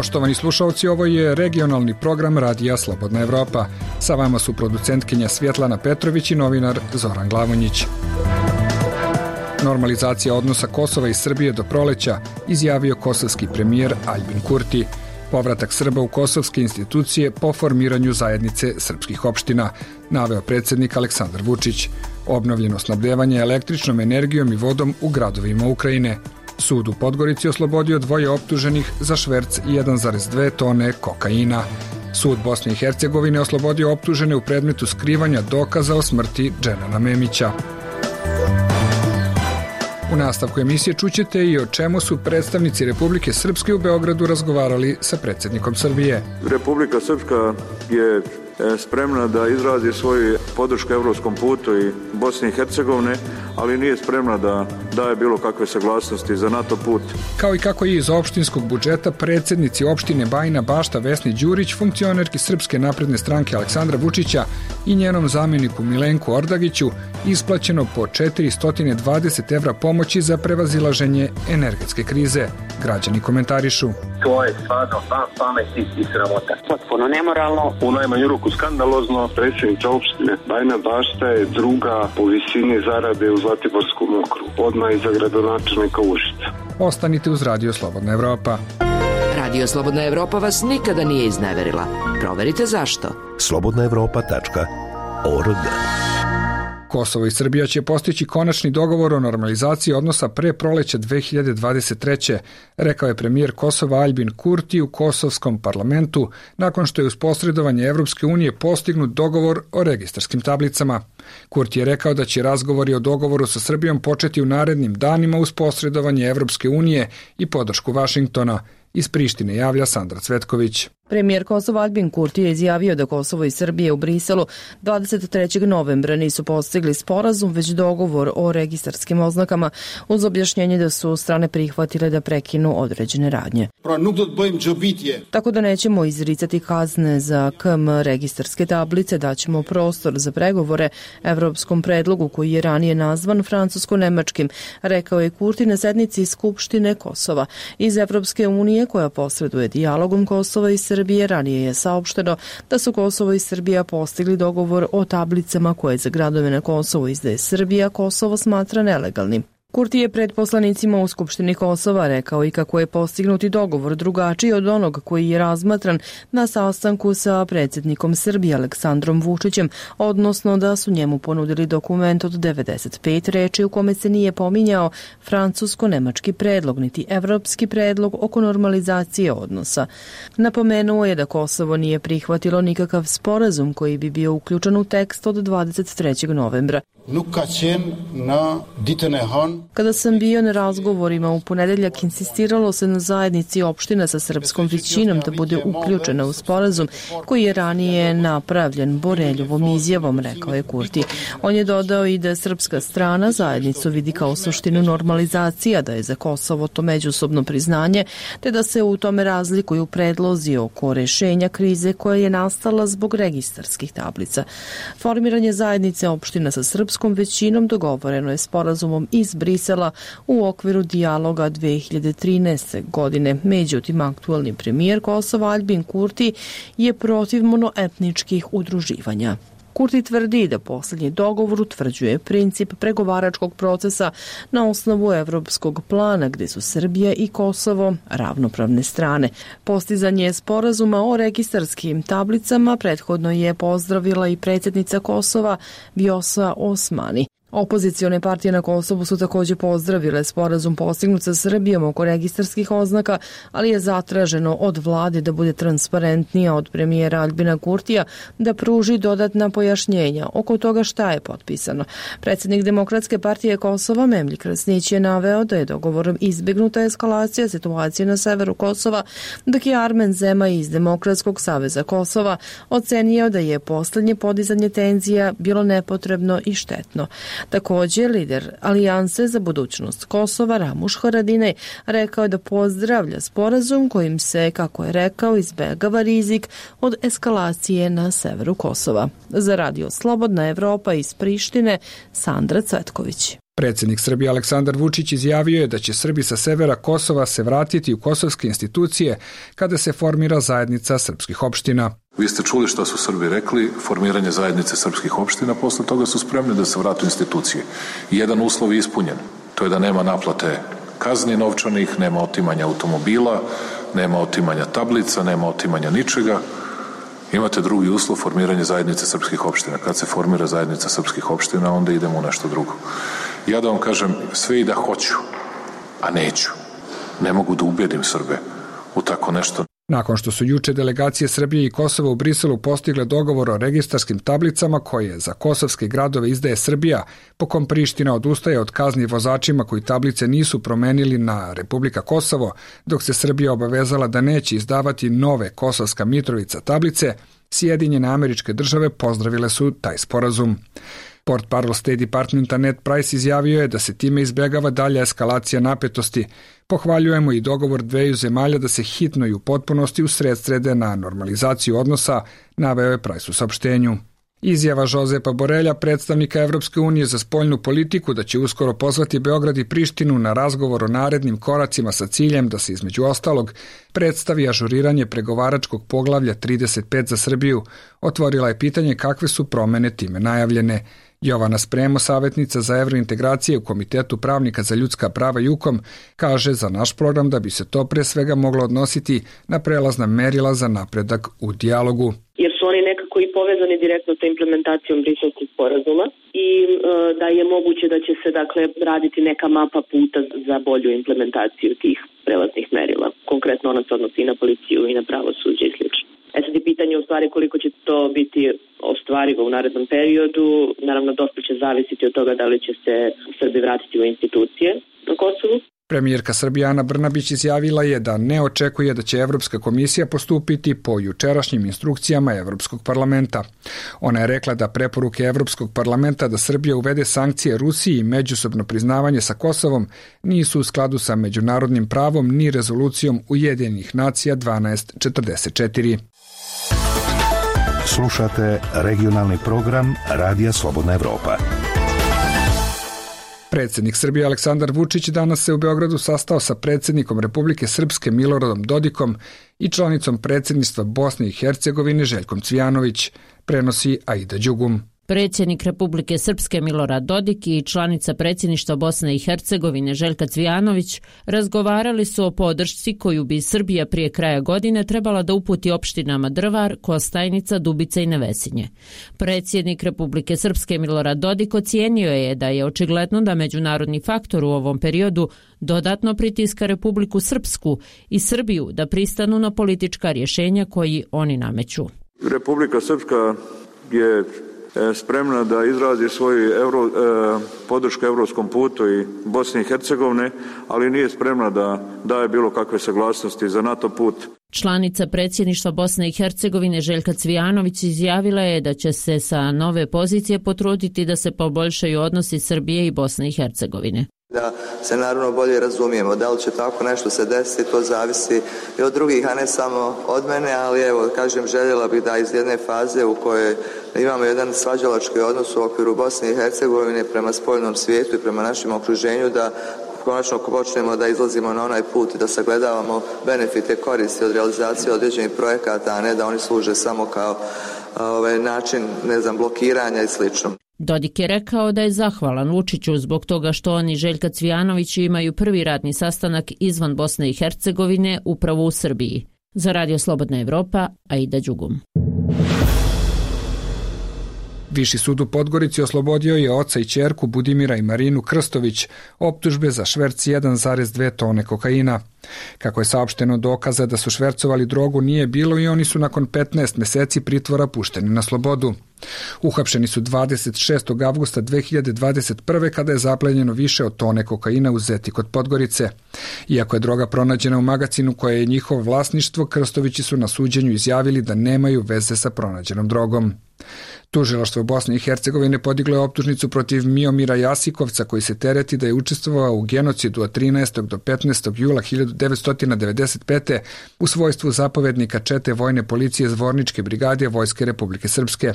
Poštovani slušalci, ovo je regionalni program Radija Slobodna Evropa. Sa vama su producentkinja Svjetlana Petrović i novinar Zoran Glavonjić. Normalizacija odnosa Kosova i Srbije do proleća, izjavio kosovski premijer Aljbin Kurti. Povratak Srba u kosovske institucije po formiranju zajednice srpskih opština, naveo predsjednik Aleksandar Vučić. Obnovljeno snabdevanje električnom energijom i vodom u gradovima Ukrajine. Sud u Podgorici oslobodio 2 optuženih za šverc 1,2 tone kokaina. Sud Bosne i Hercegovine oslobodio optužene u predmetu skrivanja dokaza o smrti Dženana Memića. U nastavku emisije čućete i o čemu su predstavnici Republike Srpske u Beogradu razgovarali sa predsjednikom Srbije. Republika Srpska je spremna da izrazi svoju podršku evropskom putu i Bosne i Hercegovine, ali nije spremna da daje bilo kakve saglasnosti za NATO put. Kao i kako je iz opštinskog budžeta predsjednici opštine Bajina Bašta Vesni Đurić, funkcionerki Srpske napredne stranke Aleksandra Vučića i njenom zamjeniku Milenku Ordagiću isplaćeno po 420 evra pomoći za prevazilaženje energetske krize. Građani komentarišu. To je stvarno van pameti i sramota. Potpuno nemoralno. U najmanju ruku skandalozno. Predsjednica opštine Bajina Bašta je druga po visini zarade u Zlatiborskom okrugu. Odmah iza gradonačelnika Užica. Ostanite uz Radio Slobodna Evropa. Radio Slobodna Evropa vas nikada nije izneverila. Proverite zašto. slobodnaevropa.org. Kosovo i Srbija će postići konačni dogovor o normalizaciji odnosa pre proleća 2023. rekao je premijer Kosova Aljbin Kurti u kosovskom parlamentu nakon što je uz posredovanje Evropske unije postignut dogovor o registarskim tablicama. Kurti je rekao da će razgovori o dogovoru sa Srbijom početi u narednim danima uz posredovanje Evropske unije i podršku Vašingtona. Iz Prištine javlja Sandra Cvetković. Premijer Kosova Aljbin Kurti je izjavio da Kosovo i Srbije u Briselu 23. novembra nisu postigli sporazum, već dogovor o registarskim oznakama, uz objašnjenje da su strane prihvatile da prekinu određene radnje. Tako da nećemo izricati kazne za KM registarske tablice, daćemo prostor za pregovore evropskom predlogu koji je ranije nazvan francusko-nemačkim, rekao je Kurti na sednici Skupštine Kosova. Iz Evropske unije koja posreduje dijalogom Kosova i Srbije ranije je saopšteno da su Kosovo i Srbija postigli dogovor o tablicama koje za gradove na Kosovo izdaje Srbija, Kosovo smatra nelegalnim. Kurti je pred poslanicima u Skupštini Kosova rekao i kako je postignuti dogovor drugačiji od onog koji je razmatran na sastanku sa predsjednikom Srbije Aleksandrom Vučićem, odnosno da su njemu ponudili dokument od 95 reči u kome se nije pominjao francusko-nemački predlog niti evropski predlog oko normalizacije odnosa. Napomenuo je da Kosovo nije prihvatilo nikakav sporazum koji bi bio uključen u tekst od 23. novembra. Kada sam bio na razgovorima u ponedeljak, insistiralo se na zajednici opština sa srpskom većinom da bude uključena u sporazum koji je ranije napravljen Boreljovom izjavom, rekao je Kurti. On je dodao i da srpska strana zajednicu vidi kao suštinu normalizacija, da je za Kosovo to međusobno priznanje, te da se u tome razlikuju predlozi oko rešenja krize koja je nastala zbog registarskih tablica. Formiranje zajednice opština sa srpskom većinom dogovoreno je sporazumom iz Brisela u okviru dijaloga 2013. godine. Međutim, aktualni premijer Kosova Aljbin Kurti je protiv monoetničkih udruživanja. Kurti tvrdi da posljednji dogovor utvrđuje princip pregovaračkog procesa na osnovu evropskog plana gdje su Srbija i Kosovo ravnopravne strane. Postizanje sporazuma o registarskim tablicama prethodno je pozdravila i predsjednica Kosova Vjosa Osmani. Opozicione partije na Kosovu su također pozdravile sporazum postignut sa Srbijom oko registarskih oznaka, ali je zatraženo od vlade da bude transparentnija, od premijera Aljbina Kurtija da pruži dodatna pojašnjenja oko toga šta je potpisano. Predsjednik Demokratske partije Kosova Memlji Krasnić je naveo da je dogovorom izbjegnuta eskalacija situacije na severu Kosova, dok je Armen Zema iz Demokratskog saveza Kosova ocenio da je posljednje podizanje tenzija bilo nepotrebno i štetno. Također, lider Alijanse za budućnost Kosova Ramuš Haradinaj rekao je da pozdravlja sporazum kojim se, kako je rekao, izbegava rizik od eskalacije na severu Kosova. Za Radio Slobodna Evropa iz Prištine, Sandra Cvetković. Predsjednik Srbije Aleksandar Vučić izjavio je da će Srbi sa severa Kosova se vratiti u kosovske institucije kada se formira zajednica srpskih opština. Vi ste čuli što su Srbi rekli, formiranje zajednice srpskih opština, posle toga su spremni da se vratu u institucije. Jedan uslov je ispunjen, to je da nema naplate kazni novčanih, nema otimanja automobila, nema otimanja tablica, nema otimanja ničega. Imate drugi uslov, formiranje zajednice srpskih opština. Kad se formira zajednica srpskih opština, onda idemo u nešto drugo. Ja da vam kažem, sve i da hoću, a neću. Ne mogu da ubedim Srbe u tako nešto. Nakon što su juče delegacije Srbije i Kosova u Briselu postigle dogovor o registarskim tablicama koje za kosovske gradove izdaje Srbija, po kom Priština odustaje od kazni vozačima koji tablice nisu promenili na Republika Kosovo, dok se Srbija obavezala da neće izdavati nove Kosovska Mitrovica tablice, Sjedinjene Američke Države pozdravile su taj sporazum. Portparol State Departmenta Ned Price izjavio je da se time izbjegava dalja eskalacija napetosti. Pohvaljujemo i dogovor dveju zemalja da se hitno i u potpunosti usredsrede na normalizaciju odnosa, naveo je Price u saopštenju. Izjava Jozepa Borelja, predstavnika Evropske unije za spoljnu politiku, da će uskoro pozvati Beograd i Prištinu na razgovor o narednim koracima sa ciljem da se između ostalog predstavi ažuriranje pregovaračkog poglavlja 35 za Srbiju, otvorila je pitanje kakve su promene time najavljene. Jovana Spremo, savjetnica za evrointegracije u Komitetu pravnika za ljudska prava JUKOM, kaže za naš program da bi se to pre svega moglo odnositi na prelazna merila za napredak u dijalogu. Jer su oni nekako i povezani direktno sa implementacijom Briselskog sporazuma i da je moguće da će se raditi neka mapa puta za bolju implementaciju tih prelaznih merila. Konkretno ona se odnosi i na policiju i na pravosuđe i slično. Sad je pitanje u stvari koliko će to biti ostvarivo u narednom periodu. Naravno, dosta će zavisiti od toga da li će se Srbi vratiti u institucije na Kosovu. Premijerka Srbije Ana Brnabić izjavila je da ne očekuje da će Evropska komisija postupiti po jučerašnjim instrukcijama Evropskog parlamenta. Ona je rekla da preporuke Evropskog parlamenta da Srbija uvede sankcije Rusiji i međusobno priznavanje sa Kosovom nisu u skladu sa međunarodnim pravom ni rezolucijom Ujedinjenih nacija 1244. Slušate regionalni program Radija Slobodna Evropa. Predsjednik Srbije Aleksandar Vučić danas se u Beogradu sastao sa predsjednikom Republike Srpske Miloradom Dodikom i članicom predsjedništva Bosne i Hercegovine Željkom Cvijanović, prenosi Aida Đugum. Predsjednik Republike Srpske Milorad Dodik i članica predsjedništva Bosne i Hercegovine Željka Cvijanović razgovarali su o podršci koju bi Srbija prije kraja godine trebala da uputi opštinama Drvar, Kostajnica, Dubica i Nevesinje. Predsjednik Republike Srpske Milorad Dodik ocijenio je da je očigledno da međunarodni faktor u ovom periodu dodatno pritiska Republiku Srpsku i Srbiju da pristanu na politička rješenja koji oni nameću. Republika Srpska je spremna da izrazi svoju podršku evropskom putu i Bosne i Hercegovine, ali nije spremna da daje bilo kakve saglasnosti za NATO put. Članica predsjedništva Bosne i Hercegovine Željka Cvijanović izjavila je da će se sa nove pozicije potruditi da se poboljšaju odnosi Srbije i Bosne i Hercegovine. Da se naravno bolje razumijemo, da li će tako nešto se desiti, to zavisi i od drugih, a ne samo od mene, ali evo, kažem, željela bih da iz jedne faze u kojoj imamo jedan svađalački odnos u okviru Bosne i Hercegovine prema spoljnom svijetu i prema našem okruženju, da konačno počnemo da izlazimo na onaj put i da sagledavamo benefite, koristi od realizacije određenih projekata, a ne da oni služe samo kao način, blokiranja i slično. Dodik je rekao da je zahvalan Vučiću zbog toga što oni Željka Cvijanović imaju prvi radni sastanak izvan Bosne i Hercegovine upravo u Srbiji. Za Radio Slobodna Evropa, Aida Đugum. Viši sud u Podgorici oslobodio je oca i ćerku Budimira i Marinu Krstović optužbe za šverc 1,2 tone kokaina. Kako je saopšteno, dokaza da su švercovali drogu nije bilo i oni su nakon 15 meseci pritvora pušteni na slobodu. Uhapšeni su 26. avgusta 2021. kada je zaplenjeno više od tone kokaina u Zeti kod Podgorice. Iako je droga pronađena u magacinu koje je njihovo vlasništvo, Krstovići su na suđenju izjavili da nemaju veze sa pronađenom drogom. Tužilaštvo Bosne i Hercegovine podiglo je optužnicu protiv Miomira Jasikovca koji se tereti da je učestvovao u genocidu od 13. do 15. jula 1995. u svojstvu zapovednika čete vojne policije Zvorničke brigade Vojske Republike Srpske.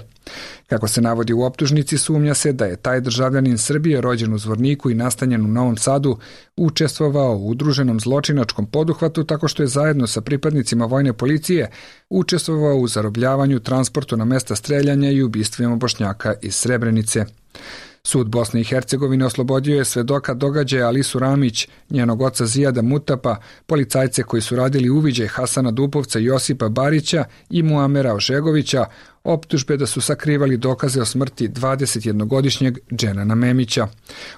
Kako se navodi u optužnici, sumnja se da je taj državljanin Srbije rođen u Zvorniku i nastanjen u Novom Sadu učestvovao u udruženom zločinačkom poduhvatu tako što je zajedno sa pripadnicima vojne policije učestvovao u zarobljavanju, transportu na mesta streljanja i ubistvima Bošnjaka iz Srebrenice. Sud Bosne i Hercegovine oslobodio je svedoka događaja Alisu Ramić, njenog oca Zijada Mutapa, policajce koji su radili uviđaj Hasana Dupovca, Josipa Barića i Muamera Ožegovića, optužbe da su sakrivali dokaze o smrti 21-godišnjeg Dženana Memića.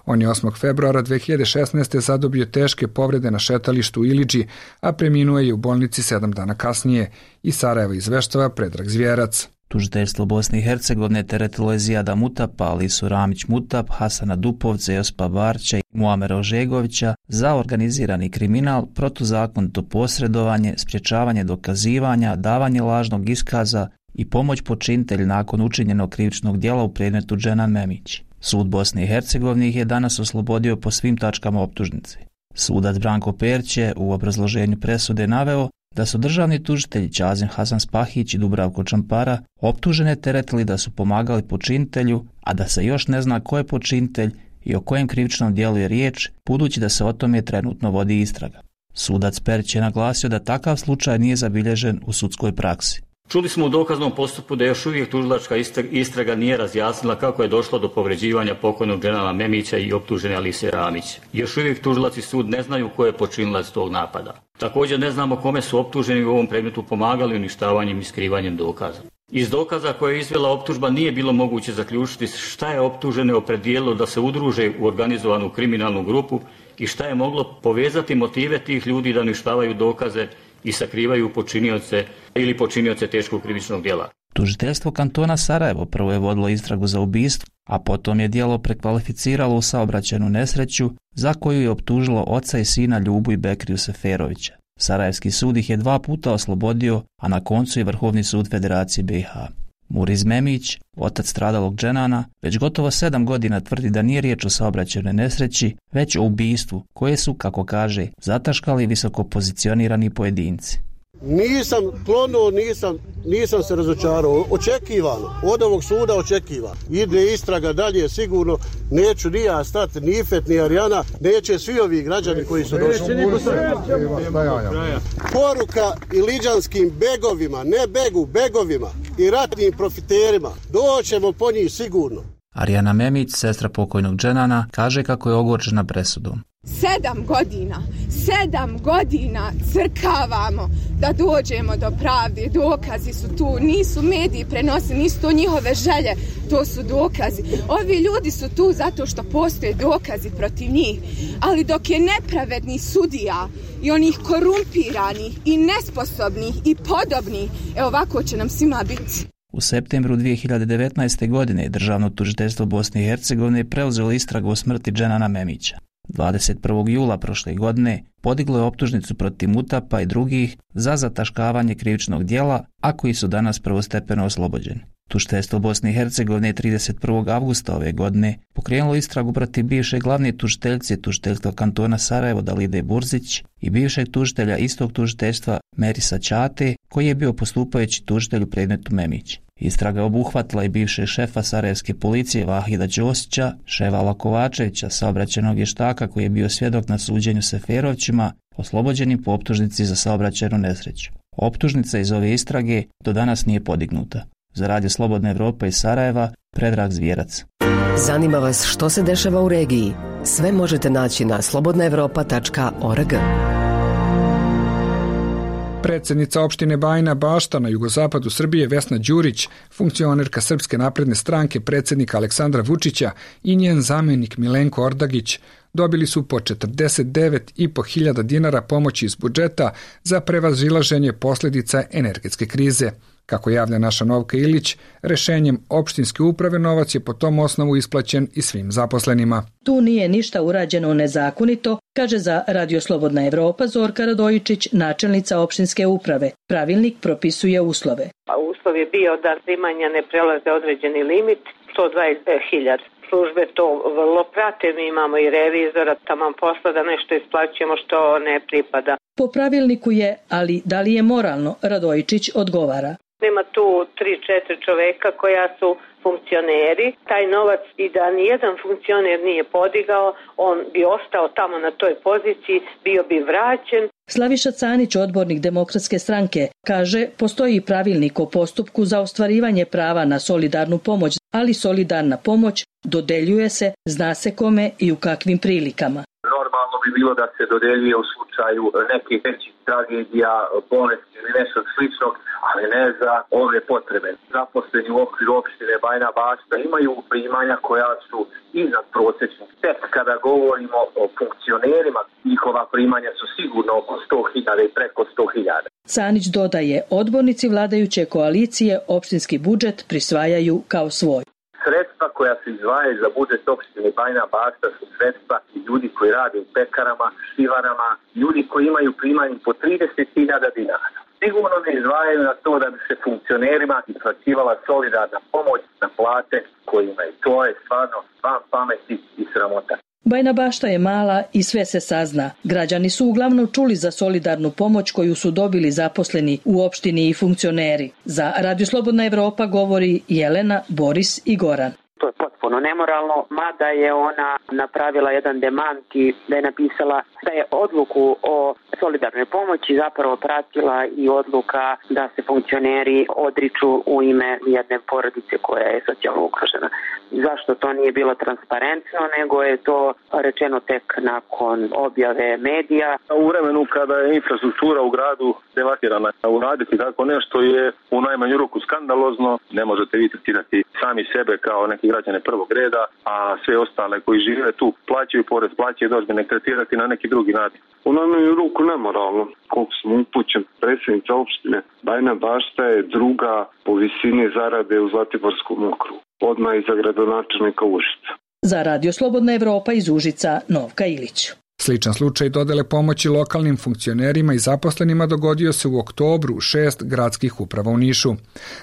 On je 8. februara 2016. zadobio teške povrede na šetalištu u Ilidži, a preminuo je u bolnici 7 dana kasnije. Iz Sarajeva izveštava Predrag Zvjerac. Tužiteljstvo Bosne i Hercegovine teretilo je Zijada Mutapa, Alisu Ramić Mutap, Hasana Dupovca, Josipa Barća i Muamera Ožegovića za organizirani kriminal, protuzakonito posredovanje, sprječavanje dokazivanja, davanje lažnog iskaza i pomoć počinitelju nakon učinjenog krivičnog djela u predmetu Dženan Memić. Sud Bosne i Hercegovine ih je danas oslobodio po svim tačkama optužnice. Sudac Branko Perć je u obrazloženju presude naveo da su državni tužitelji Ćazim Hasan Spahić i Dubravko Čampara optužene teretili da su pomagali počinitelju, a da se još ne zna ko je počinitelj i o kojem krivičnom djelu je riječ, budući da se o tome trenutno vodi istraga. Sudac Perć je naglasio da takav slučaj nije zabilježen u sudskoj praksi. Čuli smo u dokaznom postupku da još uvijek tužilačka istraga nije razjasnila kako je došlo do povređivanja pokojnog Dženana Memića i optužene Alise Ramić. Još uvijek tužilac i sud ne znaju ko je počinilac tog napada. Također ne znamo kome su optuženi u ovom predmetu pomagali uništavanjem i skrivanjem dokaza. Iz dokaza koje je izvela optužba nije bilo moguće zaključiti šta je optužene opredijelilo da se udruže u organizovanu kriminalnu grupu i šta je moglo povezati motive tih ljudi da uništavaju dokaze i sakrivaju počinioce teškog krivičnog djela. Tužiteljstvo kantona Sarajevo prvo je vodilo istragu za ubistvo, a potom je djelo prekvalificiralo u saobraćajnu nesreću za koju je optužilo oca i sina Ljubu i Bekriju Seferovića. Sarajevski sud ih je 2 puta oslobodio, a na koncu i Vrhovni sud Federacije BiH. Muriz Memić, otac stradalog Dženana, već gotovo 7 godina tvrdi da nije riječ o saobraćajnoj nesreći, već o ubistvu koje su, kako kaže, zataškali visoko pozicionirani pojedinci. Nisam klonuo, nisam se razočarao. Očekivano, od ovog suda očekiva. Ide istraga dalje, sigurno neću ni ja stati, ni Ifet, ni Arijana, neće svi ovi građani koji su došli. Poruka iliđanskim begovima, ne begovima i ratnim profiterima, doćemo po njih sigurno. Arijana Memić, sestra pokojnog Dženana, kaže kako je ogorčena presudom. 7 godina crkavamo da dođemo do pravde, dokazi su tu, nisu mediji prenosili, nisu to njihove želje, to su dokazi. Ovi ljudi su tu zato što postoje dokazi protiv njih, ali dok je nepravedni sudija i onih korumpiranih i nesposobnih i podobnih, ovako će nam svima biti. U septembru 2019. godine Državno tužiteljstvo Bosne i Hercegovine preuzelo istragu o smrti Dženana Memića. 21. jula prošle godine podiglo je optužnicu protiv Mutapa i drugih za zataškavanje krivičnog djela, a koji su danas prvostepeno oslobođeni. Tužiteljstvo Bosne i Hercegovine 31. avgusta ove godine pokrenulo istragu protiv bivše glavne tužiteljice tužiteljstva kantona Sarajevo Dalide Burzić i bivšeg tužitelja istog tužiteljstva Merisa Ćate, koji je bio postupajući tužitelj u predmetu Memić. Istraga obuhvatila i bivšeg šefa sarajevske policije Vahida Ćosića, Ševala Kovačevića, saobraćajnog vještaka koji je bio svjedok na suđenju Seferovćima, oslobođenim po optužnici za saobraćajnu nesreću. Optužnica iz ove istrage do danas nije podignuta. Za Radio Slobodna Evropa iz Sarajeva, Predrag Zvjerac. Zanima vas što se dešava u regiji? Sve možete naći na slobodnaevropa.org. Predsjednica opštine Bajina Bašta na jugozapadu Srbije Vesna Đurić, funkcionerka Srpske napredne stranke predsjednika Aleksandra Vučića i njen zamjenik Milenko Ordagić dobili su po 49.500 dinara pomoći iz budžeta za prevazilaženje posljedica energetske krize. Kako javlja naša Novka Ilić, rešenjem opštinske uprave novac je po tom osnovu isplaćen i svim zaposlenima. Tu nije ništa urađeno nezakonito, kaže za Radio Slobodna Evropa Zorka Radojičić, načelnica opštinske uprave. Pravilnik propisuje uslove. Uslov je bio da primanja ne prelaze određeni limit, 120.000. Službe to vrlo prate, mi imamo i revizora, taman posla da nešto isplaćujemo što ne pripada. Po pravilniku je, ali da li je moralno, Radojičić odgovara. Ima tu 3-4 čoveka koja su funkcioneri. Taj novac i da nijedan funkcioner nije podigao, on bi ostao tamo na toj poziciji, bio bi vraćen. Slaviša Canić, odbornik Demokratske stranke, kaže postoji pravilnik o postupku za ostvarivanje prava na solidarnu pomoć, ali solidarna pomoć dodeljuje se, zna se kome i u kakvim prilikama. Normalno bi bilo da se dodeljuje u slučaju nekih većih tragedija, bolesti ili nešto sličnog, ali ne za ove potrebe. Zaposleni u okviru opštine Bajina Bašta imaju primanja koja su iznad prosječnih. Tek kada govorimo o funkcionerima, njihova primanja su sigurno oko 100.000 i preko 100.000. Canić dodaje, odbornici vladajuće koalicije opštinski budžet prisvajaju kao svoj. Sredstva koja se izdvajaju za budžet opštine Bajina Bašta su sredstva ljudi koji rade u pekarama, šivarama, ljudi koji imaju primanje po 30.000 dinara. Sigurno ne izdvajaju na to da bi se funkcionerima isplaćivala solidarna pomoć na plate koje imaju. To je stvarno van pameti i sramota. Bajina Bašta je mala i sve se sazna. Građani su uglavnom čuli za solidarnu pomoć koju su dobili zaposleni u opštini i funkcioneri. Za Radio Slobodna Evropa govori Jelena, Boris i Goran. To je potpuno nemoralno, mada je ona napravila jedan demant i da je napisala da je odluku o solidarnoj pomoći zapravo pratila i odluka da se funkcioneri odriču u ime jedne porodice koja je socijalno ugrožena. Zašto to nije bilo transparentno, nego je to rečeno tek nakon objave medija. U vremenu kada je infrastruktura u gradu devastirana, uraditi tako nešto je u najmanju ruku skandalozno. Ne možete vi tretirati sami sebe kao neki građane prvog reda, a sve ostale koji žive tu plaćaju porez, plaćaju dažbine, tretirati na neki drugi način. U najmanju ruku nemoralno. Koliko sam upućen, predsjednica opštine Bajina Bašta je druga po visini zarade u Zlatiborskom okrugu, odmah iza gradonačelnika Užica. Za Radio Slobodna Evropa iz Užica, Novka Ilić. Sličan slučaj dodele pomoći lokalnim funkcionerima i zaposlenima dogodio se u oktobru u 6 gradskih uprava u Nišu.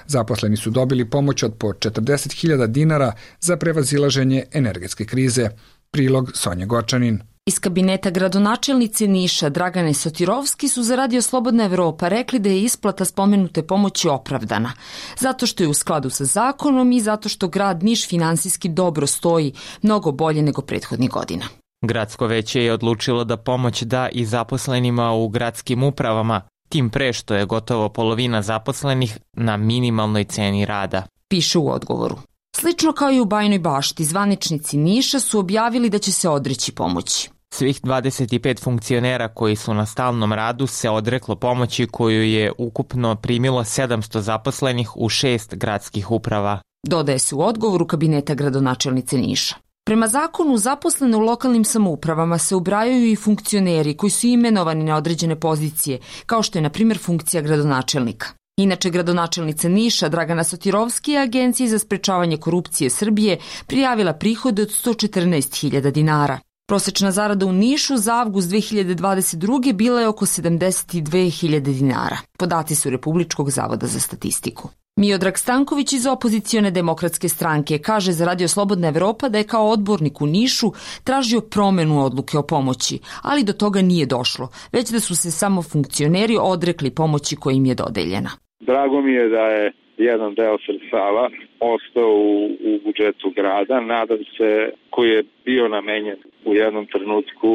Zaposleni su dobili pomoć od po 40.000 dinara za prevazilaženje energetske krize. Prilog Sonja Gočanin. Iz kabineta gradonačelnice Niša Dragane Sotirovski su za Radio Slobodna Evropa rekli da je isplata spomenute pomoći opravdana, zato što je u skladu sa zakonom i zato što grad Niš finansijski dobro stoji, mnogo bolje nego prethodnih godina. Gradsko veće je odlučilo da pomoć da i zaposlenima u gradskim upravama, tim pre što je gotovo polovina zaposlenih na minimalnoj ceni rada. Piše u odgovoru. Slično kao i u Bajinoj Bašti, zvaničnici Niša su objavili da će se odreći pomoći. Svih 25 funkcionera koji su na stalnom radu se odreklo pomoći koju je ukupno primilo 700 zaposlenih u 6 gradskih uprava. Dodaje se u odgovoru kabineta gradonačelnice Niša. Prema zakonu, zaposlene u lokalnim samoupravama se ubrajaju i funkcioneri koji su imenovani na određene pozicije, kao što je, na primjer, funkcija gradonačelnika. Inače, gradonačelnica Niša Dragana Sotirovski je Agenciji za sprečavanje korupcije Srbije prijavila prihode od 114.000 dinara. Prosečna zarada u Nišu za avgust 2022. bila je oko 72.000 dinara. Podaci su Republičkog zavoda za statistiku. Miodrag Stanković iz opozicione Demokratske stranke kaže za Radio Slobodna Evropa da je kao odbornik u Nišu tražio promenu odluke o pomoći, ali do toga nije došlo, već da su se samo funkcioneri odrekli pomoći koja im je dodeljena. Drago mi je da je jedan deo sredstava ostao u budžetu grada, nadam se, koji je bio namenjen u jednom trenutku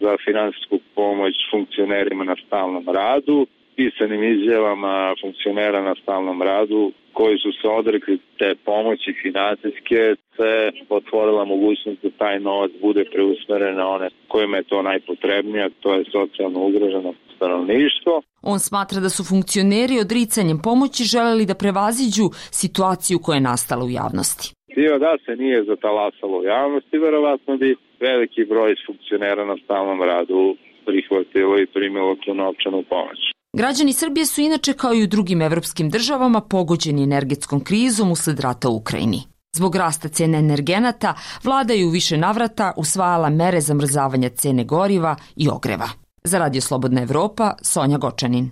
za finansijsku pomoć funkcionerima na stalnom radu, pisanim izjavama funkcionera na stalnom radu koji su se odrekli te pomoći finansijske, se otvorila mogućnost da taj novac bude preusmeren na one kojima je to najpotrebnije, to je socijalno ugroženo stanovništvo. On smatra da su funkcioneri odricanjem pomoći želeli da prevaziđu situaciju koja je nastala u javnosti. Da se nije zatalasalo u javnosti, verovatno bi veliki broj funkcionera na stalnom radu prihvatilo i primilo tu novčanu pomoć. Građani Srbije su inače kao i u drugim evropskim državama pogođeni energetskom krizom usled rata u Ukrajini. Zbog rasta cene energenata, vlada je u više navrata usvajala mere zamrzavanja cene goriva i ogreva. Za Radio Slobodna Evropa, Sonja Gočanin.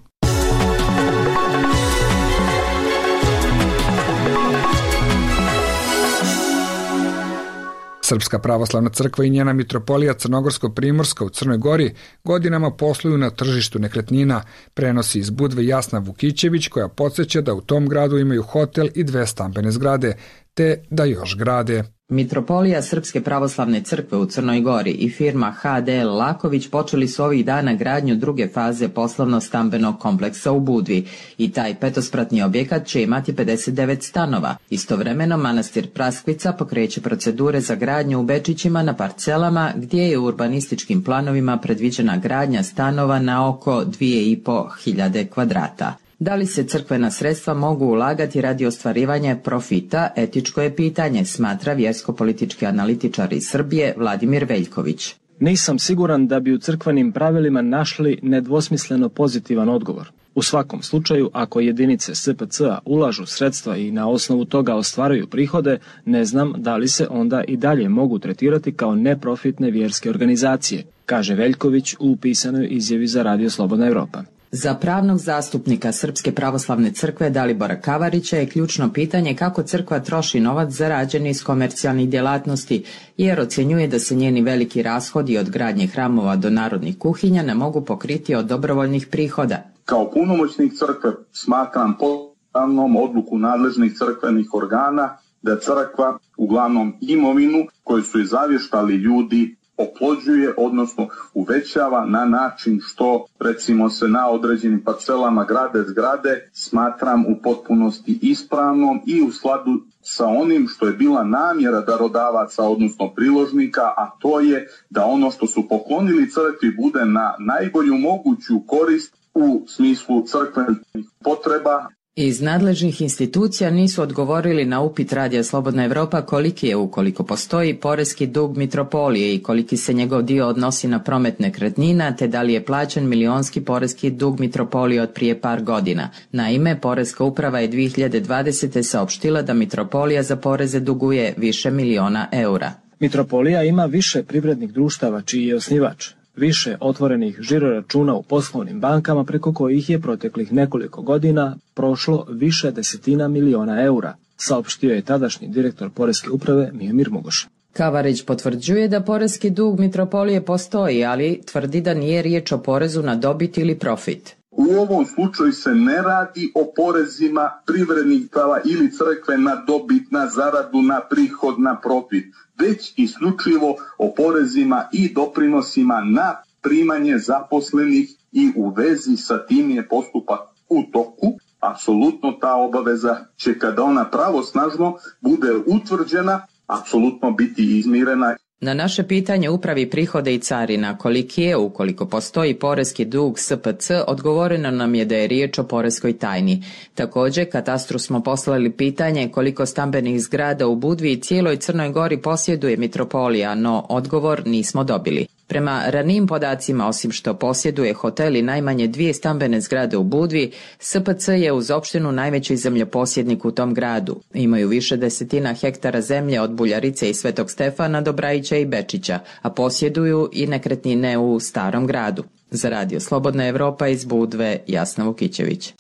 Srpska pravoslavna crkva i njena mitropolija Crnogorsko-Primorska u Crnoj Gori godinama posluju na tržištu nekretnina, prenosi iz Budve Jasna Vukićević, koja podsjeća da u tom gradu imaju hotel i 2 stambene zgrade, te da još grade. Mitropolija Srpske pravoslavne crkve u Crnoj Gori i firma HDL Laković počeli su ovih dana gradnju druge faze poslovno-stambenog kompleksa u Budvi i taj petospratni objekat će imati 59 stanova. Istovremeno manastir Praskvica pokreće procedure za gradnju u Bečićima na parcelama gdje je u urbanističkim planovima predviđena gradnja stanova na oko 2.500 kvadrata. Da li se crkvena sredstva mogu ulagati radi ostvarivanja profita, etičko je pitanje, smatra vjersko-politički analitičar iz Srbije Vladimir Veljković. Nisam siguran da bi u crkvenim pravilima našli nedvosmisleno pozitivan odgovor. U svakom slučaju, ako jedinice SPC-a ulažu sredstva i na osnovu toga ostvaraju prihode, ne znam da li se onda i dalje mogu tretirati kao neprofitne vjerske organizacije, kaže Veljković u pisanoj izjavi za Radio Slobodna Evropa. Za pravnog zastupnika Srpske pravoslavne crkve Dalibora Kavarića je ključno pitanje kako crkva troši novac zarađen iz komercijalnih djelatnosti, jer ocjenjuje da se njeni veliki rashodi od gradnje hramova do narodnih kuhinja ne mogu pokriti od dobrovoljnih prihoda. Kao punomoćnik crkve smatram potpunom odluku nadležnih crkvenih organa da crkva uglavnom imovinu koju su zavještali ljudi oplođuje, odnosno uvećava na način što, recimo, se na određenim parcelama grade zgrade, smatram u potpunosti ispravnom i u skladu sa onim što je bila namjera darodavaca, odnosno priložnika, a to je da ono što su poklonili crkvi bude na najbolju moguću korist u smislu crkvenih potreba. Iz nadležnih institucija nisu odgovorili na upit Radija Slobodna Evropa koliki je, ukoliko postoji, poreski dug mitropolije i koliki se njegov dio odnosi na promet nekretnina, te da li je plaćen milionski poreski dug mitropolije od prije par godina. Naime, Poreska uprava je 2020. saopštila da mitropolija za poreze duguje više miliona eura. Mitropolija ima više privrednih društava čiji je osnivač, više otvorenih žiroračuna u poslovnim bankama preko kojih je proteklih nekoliko godina prošlo više desetina miliona eura, saopštio je tadašnji direktor Poreske uprave Mijomir Mugoš. Kavarić potvrđuje da poreski dug mitropolije postoji, ali tvrdi da nije riječ o porezu na dobit ili profit. U ovom slučaju se ne radi o porezima privrednih prava ili crkve na dobit, na zaradu, na prihod, na profit, već isključivo o porezima i doprinosima na primanje zaposlenih i u vezi sa tim je postupak u toku. Apsolutno ta obaveza će, kada ona pravosnažno bude utvrđena, apsolutno biti izmirena. Na naše pitanje upravi prihode i carina koliki je, ukoliko postoji poreski dug SPC, odgovoreno nam je da je riječ o poreskoj tajni. Također, katastru smo poslali pitanje koliko stambenih zgrada u Budvi i cijeloj Crnoj Gori posjeduje mitropolija, no odgovor nismo dobili. Prema ranijim podacima, osim što posjeduje hotel i najmanje 2 stambene zgrade u Budvi, SPC je uz opštinu najveći zemljoposjednik u tom gradu. Imaju više desetina hektara zemlje od Buljarice i Svetog Stefana do Brajića i Bečića, a posjeduju i nekretnine u Starom gradu. Za Radio Slobodna Evropa iz Budve, Jasna Vukićević.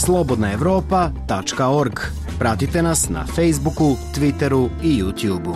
slobodnaevropa.org. Pratite nas na Facebooku, Twitteru i YouTubeu.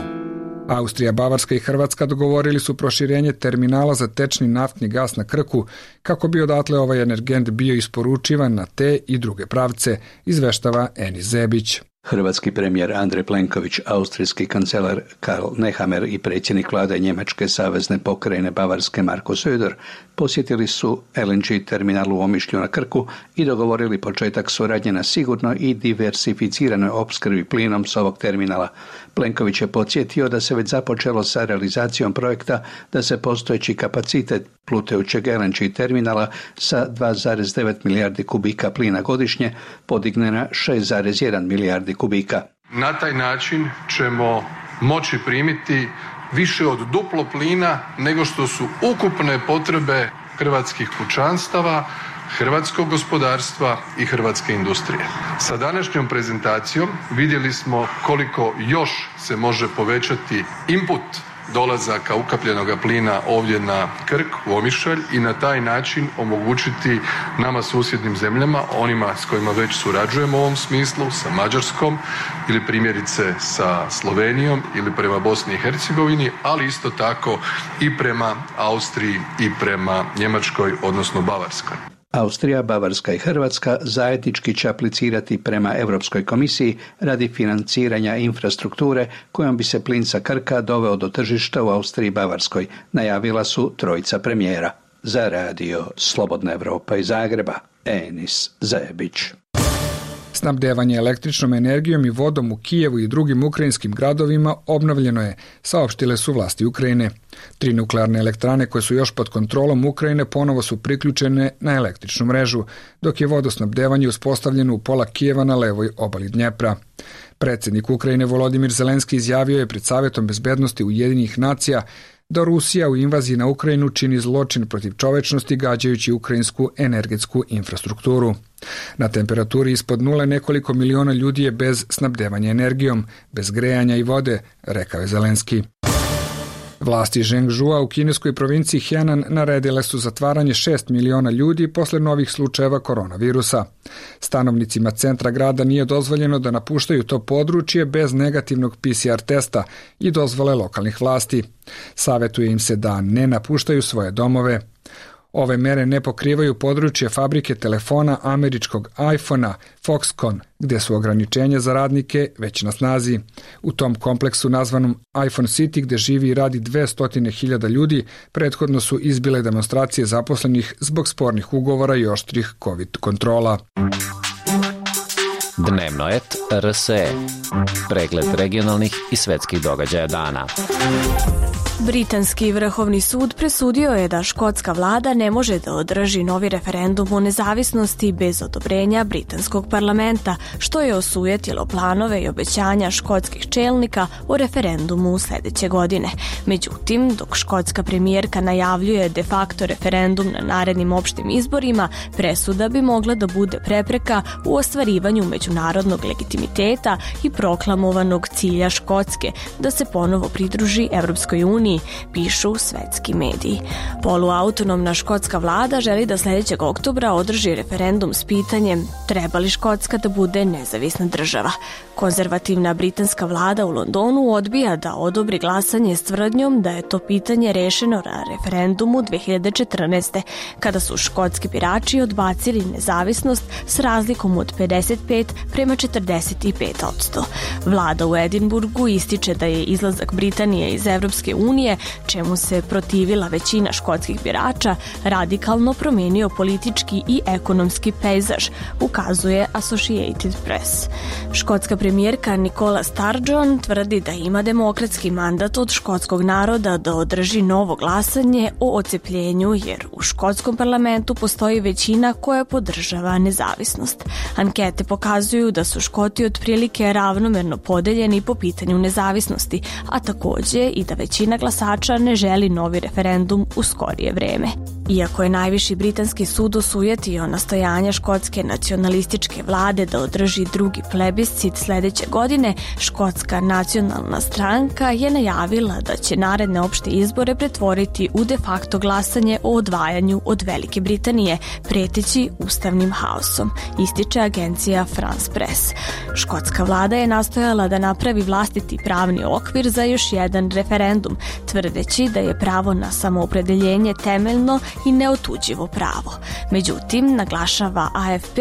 Austrija, Bavarska i Hrvatska dogovorili su proširenje terminala za tečni naftni gas na Krku kako bi odatle ovaj energent bio isporučivan na te i druge pravce, izveštava Enis Zebić. Hrvatski premijer Andrej Plenković, austrijski kancelar Karl Nehammer i predsjednik vlade Njemačke savezne pokrajine Bavarske Marko Söder posjetili su LNG terminal u Omišlju na Krku i dogovorili početak suradnje na sigurnoj i diversificiranoj opskrbi plinom s ovog terminala. Plenković je podsjetio da se već započelo sa realizacijom projekta da se postojeći kapacitet plutajućeg LNG terminala sa 2,9 milijardi kubika plina godišnje podigne na 6,1 milijardi kubika. Na taj način ćemo moći primiti više od duplo plina nego što su ukupne potrebe hrvatskih kućanstava hrvatskog gospodarstva i hrvatske industrije. Sa današnjom prezentacijom vidjeli smo koliko još se može povećati input dolazaka ukapljenog plina ovdje na Krk, u Omišalj i na taj način omogućiti nama susjednim zemljama, onima s kojima već surađujemo u ovom smislu, sa Mađarskom ili primjerice sa Slovenijom ili prema Bosni i Hercegovini, ali isto tako i prema Austriji i prema Njemačkoj, odnosno Bavarskoj. Austrija, Bavarska i Hrvatska zajednički će aplicirati prema Europskoj komisiji radi financiranja infrastrukture kojom bi se plin sa Krka doveo do tržišta u Austriji i Bavarskoj, najavila su trojica premijera. Za radio Slobodna Evropa iz Zagreba, Enis Zajebić. Snabdevanje električnom energijom i vodom u Kijevu i drugim ukrajinskim gradovima obnovljeno je, saopštile su vlasti Ukrajine. 3 nuklearne elektrane koje su još pod kontrolom Ukrajine ponovo su priključene na električnu mrežu, dok je vodosnabdevanje uspostavljeno u pola Kijeva na levoj obali Dnjepra. Predsjednik Ukrajine Volodimir Zelenski izjavio je pred Savjetom bezbednosti Ujedinjenih nacija da Rusija u invaziji na Ukrajinu čini zločin protiv čovečnosti gađajući ukrajinsku energetsku infrastrukturu. Na temperaturi ispod nule nekoliko miliona ljudi je bez snabdevanja energijom, bez grejanja i vode, rekao je Zelenski. Vlasti Zhengzhoua u kineskoj provinciji Henan naredile su zatvaranje 6 miliona ljudi posle novih slučajeva koronavirusa. Stanovnicima centra grada nije dozvoljeno da napuštaju to područje bez negativnog PCR testa i dozvole lokalnih vlasti. Savetuje im se da ne napuštaju svoje domove. Ove mere ne pokrivaju područje fabrike telefona američkog iPhone-a Foxconn, gdje su ograničenja za radnike već na snazi. U tom kompleksu nazvanom iPhone City, gdje živi i radi 200.000 ljudi, prethodno su izbile demonstracije zaposlenih zbog spornih ugovora i oštrih COVID kontrola. Dnevnoet RSE. Pregled regionalnih i svetskih događaja dana. Britanski vrhovni sud presudio je da škotska vlada ne može da održi novi referendum o nezavisnosti bez odobrenja britanskog parlamenta, što je osujetilo planove i obećanja škotskih čelnika o referendumu sljedeće godine. Međutim, dok škotska premijerka najavljuje de facto referendum na narednim opštim izborima, presuda bi mogla da bude prepreka u ostvarivanju međunarodnog legitimiteta i proklamovanog cilja Škotske da se ponovo pridruži Evropskoj uniji, pišu svetski mediji. Poluautonomna škotska vlada želi da sljedećeg oktobra održi referendum s pitanjem treba li Škotska da bude nezavisna država. Konzervativna britanska vlada u Londonu odbija da odobri glasanje s tvrdnjom da je to pitanje rešeno na referendumu 2014. kada su škotski birači odbacili nezavisnost s razlikom od 55 prema 45%. Vlada u Edinburgu ističe da je izlazak Britanije iz Evropske unije, čemu se protivila većina škotskih birača, radikalno promijenio politički i ekonomski pejzaž, ukazuje Associated Press. Škotska premijerka Nicola Sturgeon tvrdi da ima demokratski mandat od škotskog naroda da održi novo glasanje o odcepljenju, jer u škotskom parlamentu postoji većina koja podržava nezavisnost. Ankete pokazuju da su Škoti otprilike ravnomerno podeljeni po pitanju nezavisnosti, a također i da većina glasača ne želi novi referendum u skorije vreme. Iako je najviši britanski sud osujetio nastojanja škotske nacionalističke vlade da održi drugi plebiscit sljedeće godine, Škotska nacionalna stranka je najavila da će naredne opšte izbore pretvoriti u de facto glasanje o odvajanju od Velike Britanije, preteći ustavnim haosom, ističe agencija France Press. Škotska vlada je nastojala da napravi vlastiti pravni okvir za još jedan referendum, tvrdeći da je pravo na samoopredeljenje temeljno i neotuđivo pravo. Međutim, naglašava AFP,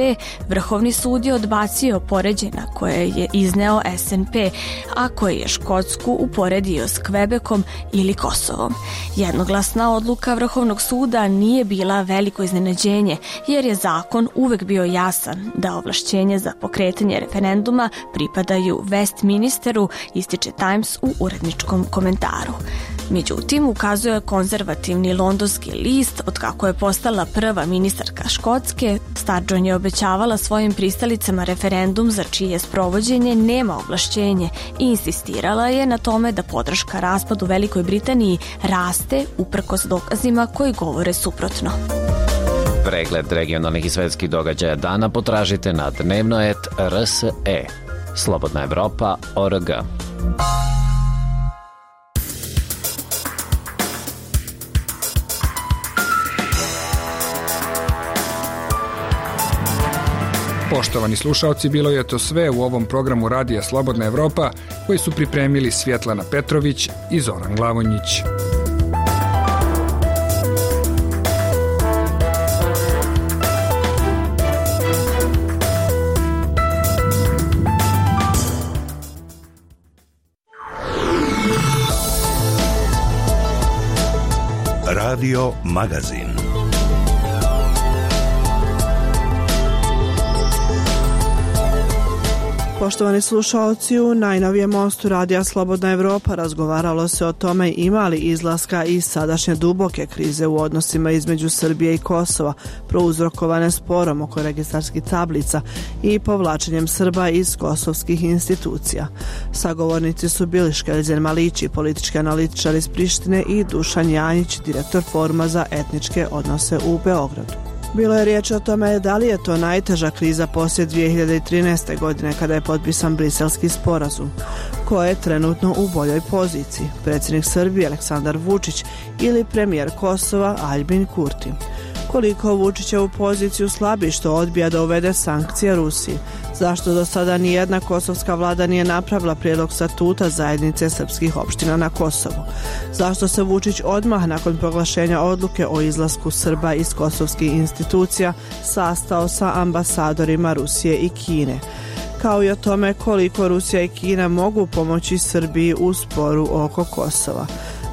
Vrhovni sud je odbacio poređenja koje je izneo SNP, a koje je Škotsku uporedio s Kvebekom ili Kosovom. Jednoglasna odluka Vrhovnog suda nije bila veliko iznenađenje, jer je zakon uvek bio jasan da ovlašćenje za pokretanje referenduma pripadaju Westminsteru, ističe Times u uredničkom komentaru. Međutim, ukazuje konzervativni londonski list, otkako je postala prva ministarka Škotske, Sturgeon je obećavala svojim pristalicama referendum za čije sprovođenje nema ovlašćenje i insistirala je na tome da podrška raspadu Velikoj Britaniji raste uprkos dokazima koji govore suprotno. Pregled regionalnih i svetskih događaja dana potražite na dnevnoet.rse. Slobodna Evropa.org. Poštovani slušaoci, bilo je to sve u ovom programu Radija Slobodna Evropa koji su pripremili Svjetlana Petrović i Zoran Glavonjić. Radio Magazin. Poštovani slušaoci, u najnovijem mostu Radija Slobodna Evropa razgovaralo se o tome ima li izlaska iz sadašnje duboke krize u odnosima između Srbije i Kosova, prouzrokovane sporom oko registarskih tablica i povlačenjem Srba iz kosovskih institucija. Sagovornici su bili Škeljen Malići, politički analitičar iz Prištine, i Dušan Janjić, direktor Foruma za etničke odnose u Beogradu. Bilo je riječ o tome da li je to najteža kriza poslije 2013. godine kada je potpisan Briselski sporazum. Ko je trenutno u boljoj poziciji? Predsjednik Srbije Aleksandar Vučić ili premijer Kosova Aljbin Kurti? Koliko Vučićevu poziciju slabi što odbija da uvede sankcije Rusiji? Zašto do sada nijedna kosovska vlada nije napravila prijedlog statuta zajednice srpskih opština na Kosovu? Zašto se Vučić odmah nakon proglašenja odluke o izlasku Srba iz kosovskih institucija sastao sa ambasadorima Rusije i Kine? Kao i o tome koliko Rusija i Kina mogu pomoći Srbiji u sporu oko Kosova.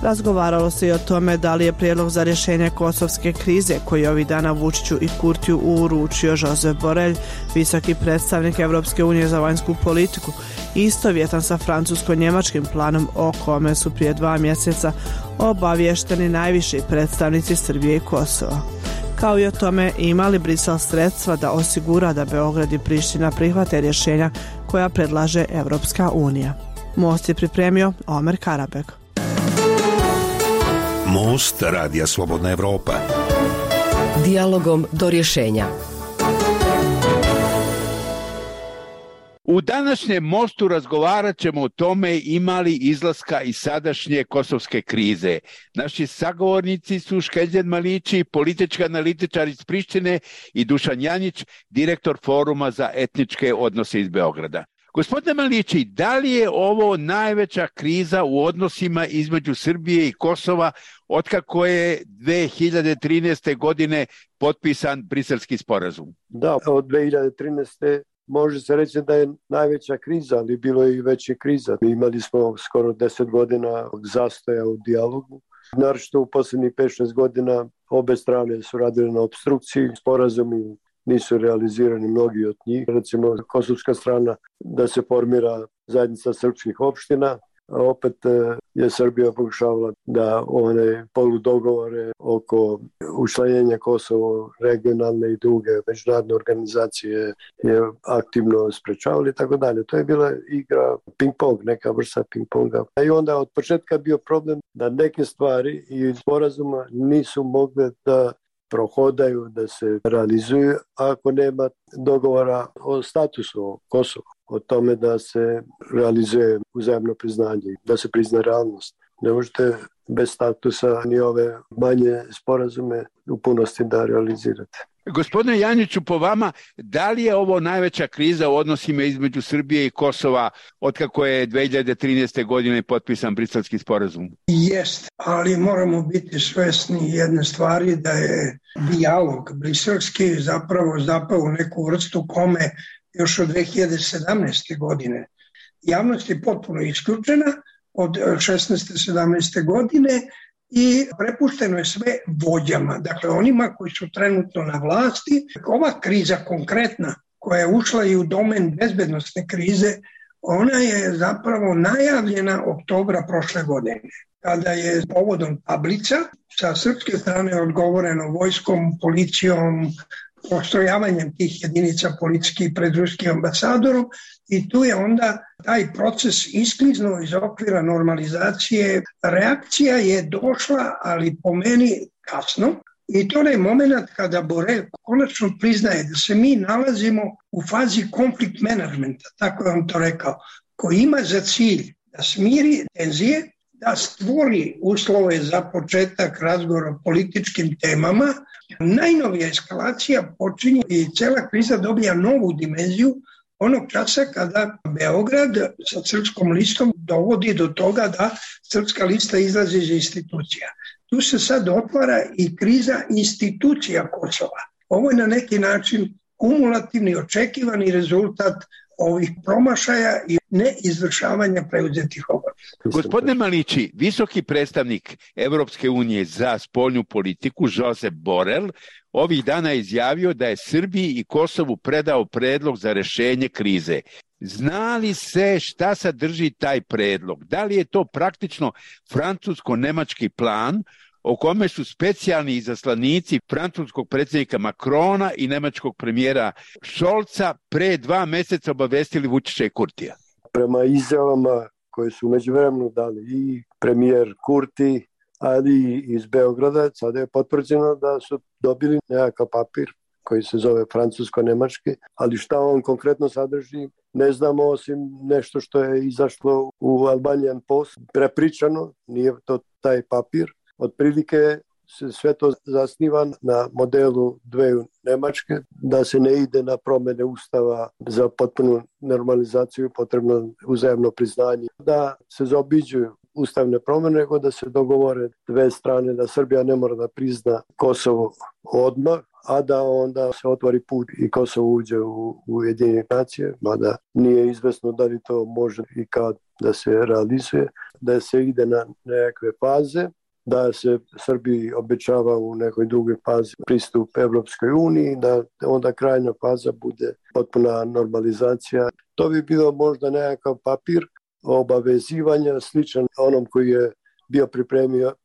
Razgovaralo se i o tome da li je prijedlog za rješenje kosovske krize koji ovih dana Vučiću i Kurtiju uručio Josep Borrell, visoki predstavnik Evropske unije za vanjsku politiku, istovjetan sa francusko-njemačkim planom o kome su prije 2 mjeseca obavješteni najviši predstavnici Srbije i Kosova. Kao i o tome ima li Brisel sredstva da osigura da Beograd i Priština prihvate rješenja koja predlaže Evropska unija. Most je pripremio Omer Karabek. Most Radija Slobodna Evropa. Dijalogom do rješenja. U današnjem mostu razgovarat ćemo o tome ima li izlaska iz sadašnje kosovske krize. Naši sagovornici su Škeljen Malići, politički analitičar iz Prištine, i Dušan Janjić, direktor Foruma za etničke odnose iz Beograda. Gospodine Malići, da li je ovo najveća kriza u odnosima između Srbije i Kosova otkako je 2013. godine potpisan Briselski sporazum? Da, od 2013. može se reći da je najveća kriza, ali bilo je i veće kriza. Imali smo skoro 10 godina zastoja u dijalogu. Naročito u posljednjih 5-6 godina obe strane su radile na obstrukciji, sporazumi nisu realizirani mnogi od njih. Recimo, kosovska strana da se formira zajednica srpskih opština, a opet je Srbija pokušavala da one poludogovore oko učlanjenja Kosova, regionalne i druge međunarodne organizacije je aktivno sprečavali i tako dalje. To je bila igra ping-pong, neka vrsta ping-ponga. I onda od početka bio problem da neke stvari i sporazuma nisu mogle da prohodaju, da se realizuju ako nema dogovora o statusu Kosova, o tome da se realizuje uzajamno priznanje, da se prizna realnost. Ne možete bez statusa ni ove manje sporazume u punosti da realizirate. Gospodine Janjiću, po vama, da li je ovo najveća kriza u odnosima između Srbije i Kosova otkako je 2013. godine potpisan Briselski sporazum? Jest, ali moramo biti svesni jedne stvari, da je dijalog briselski zapravo zapao u neku vrstu kome još od 2017. godine. Javnost je potpuno isključena od 16. 17. godine i prepušteno je sve vođama, dakle onima koji su trenutno na vlasti. Ova kriza konkretna koja je ušla i u domen bezbednostne krize, ona je zapravo najavljena oktobra prošle godine, kada je povodom tablica sa srpske strane odgovoreno vojskom, policijom, postrojavanjem tih jedinica policijskih pred ruskim ambasadorom, i tu je onda taj proces iskliznuo iz okvira normalizacije. Reakcija je došla, ali po meni kasno, I to je moment kada Borel konačno priznaje da se mi nalazimo u fazi konflikt menadžmenta, tako je on to rekao, koji ima za cilj da smiri tenzije, da stvori uslove za početak razgovora o političkim temama. Najnovija eskalacija počinje i cela kriza dobija novu dimenziju onog časa kada Beograd sa Srpskom listom dovodi do toga da Srpska lista izlazi iz institucija. Tu se sad otvara i kriza institucija Kosova. Ovo je na neki način kumulativni, očekivani rezultat ovih promašaja i neizvršavanja preuzetih obaveza. Gospodine Malići, visoki predstavnik Evropske unije za spoljnu politiku Josep Borel ovih dana je izjavio da je Srbiji i Kosovu predao predlog za rešenje krize. Zna li se šta sadrži taj predlog? Da li je to praktično francusko-nemački plan o kome su specijalni izaslanici francuskog predsjednika Macrona i nemačkog premijera Scholza pre 2 meseca obavestili Vučića i Kurtija? Prema izjavama koje su međuvremenu dali i premijer Kurti, ali iz Beograda, sada je potvrđeno da su dobili nekakav papir koji se zove francusko-nemački, ali šta on konkretno sadrži ne znamo, osim nešto što je izašlo u Albanian Post, prepričano, nije to taj papir. Otprilike se sve to zasniva na modelu dveju Nemačke, da se ne ide na promjene ustava za potpunu normalizaciju, potrebno uzajamno priznanje, da se zaobiđuju ustavne promjene, nego da se dogovore dve strane, da Srbija ne mora da prizna Kosovo odmah, a da onda se otvori put i Kosovo uđe u Ujedinjene nacije, mada nije izvesno da li to može i kad da se realizuje, da se ide na nekakve faze, da se Srbiji obećava u nekoj drugoj fazi pristup Evropskoj uniji, da onda krajnja faza bude potpuna normalizacija. To bi bilo možda nekakav papir obavezivanja sličan onom koji je bio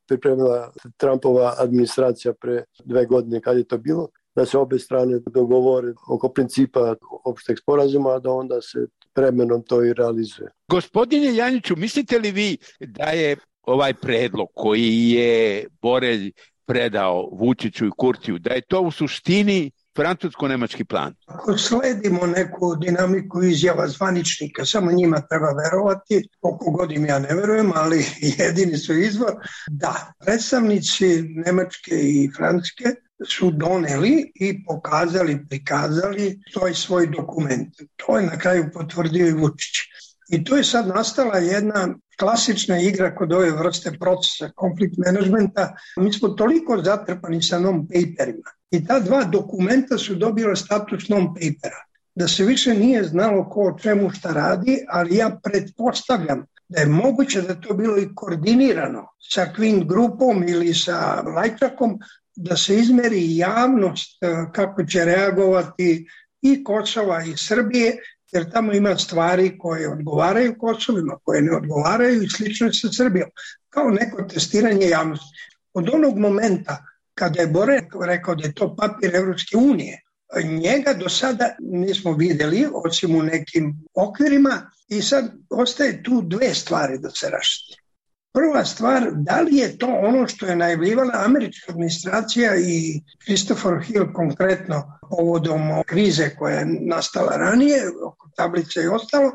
pripremila Trumpova administracija pre 2 godine kad je to bilo, da se obe strane dogovore oko principa opšteg sporazuma, a da onda se vremenom to i realizuje. Gospodine Janjiću, mislite li vi da je ovaj predlog koji je Borelj predao Vučiću i Kurtiju, da je to u suštini francusko-nemački plan? Ako sledimo neku dinamiku izjava zvaničnika, samo njima treba verovati, koliko god im ja ne verujem, ali jedini su izvor, da predstavnici Nemačke i Francuske su doneli i pokazali, prikazali svoj dokument. To je na kraju potvrdio i Vučić. I tu je sad nastala jedna klasična igra kod ove vrste procesa konflikt menadžmenta. Mi smo toliko zatrpani sa non-paperima i ta 2 dokumenta su dobila status non-papera. Da se više nije znalo ko o čemu šta radi, ali ja pretpostavljam da je moguće da to bilo i koordinirano sa Queen grupom ili sa Lajčakom, da se izmeri javnost kako će reagovati i Kosova i Srbije, jer tamo ima stvari koje odgovaraju Kosovima, koje ne odgovaraju i slično sa Srbijom, kao neko testiranje javnosti. Od onog momenta kada je Borel rekao da je to papir Evropske unije, njega do sada nismo videli, osim u nekim okvirima, i sad ostaje tu 2 stvari da se rašti. Prva stvar, da li je to ono što je najavljivala američka administracija i Christopher Hill konkretno povodom krize koja je nastala ranije, oko tablice i ostalo,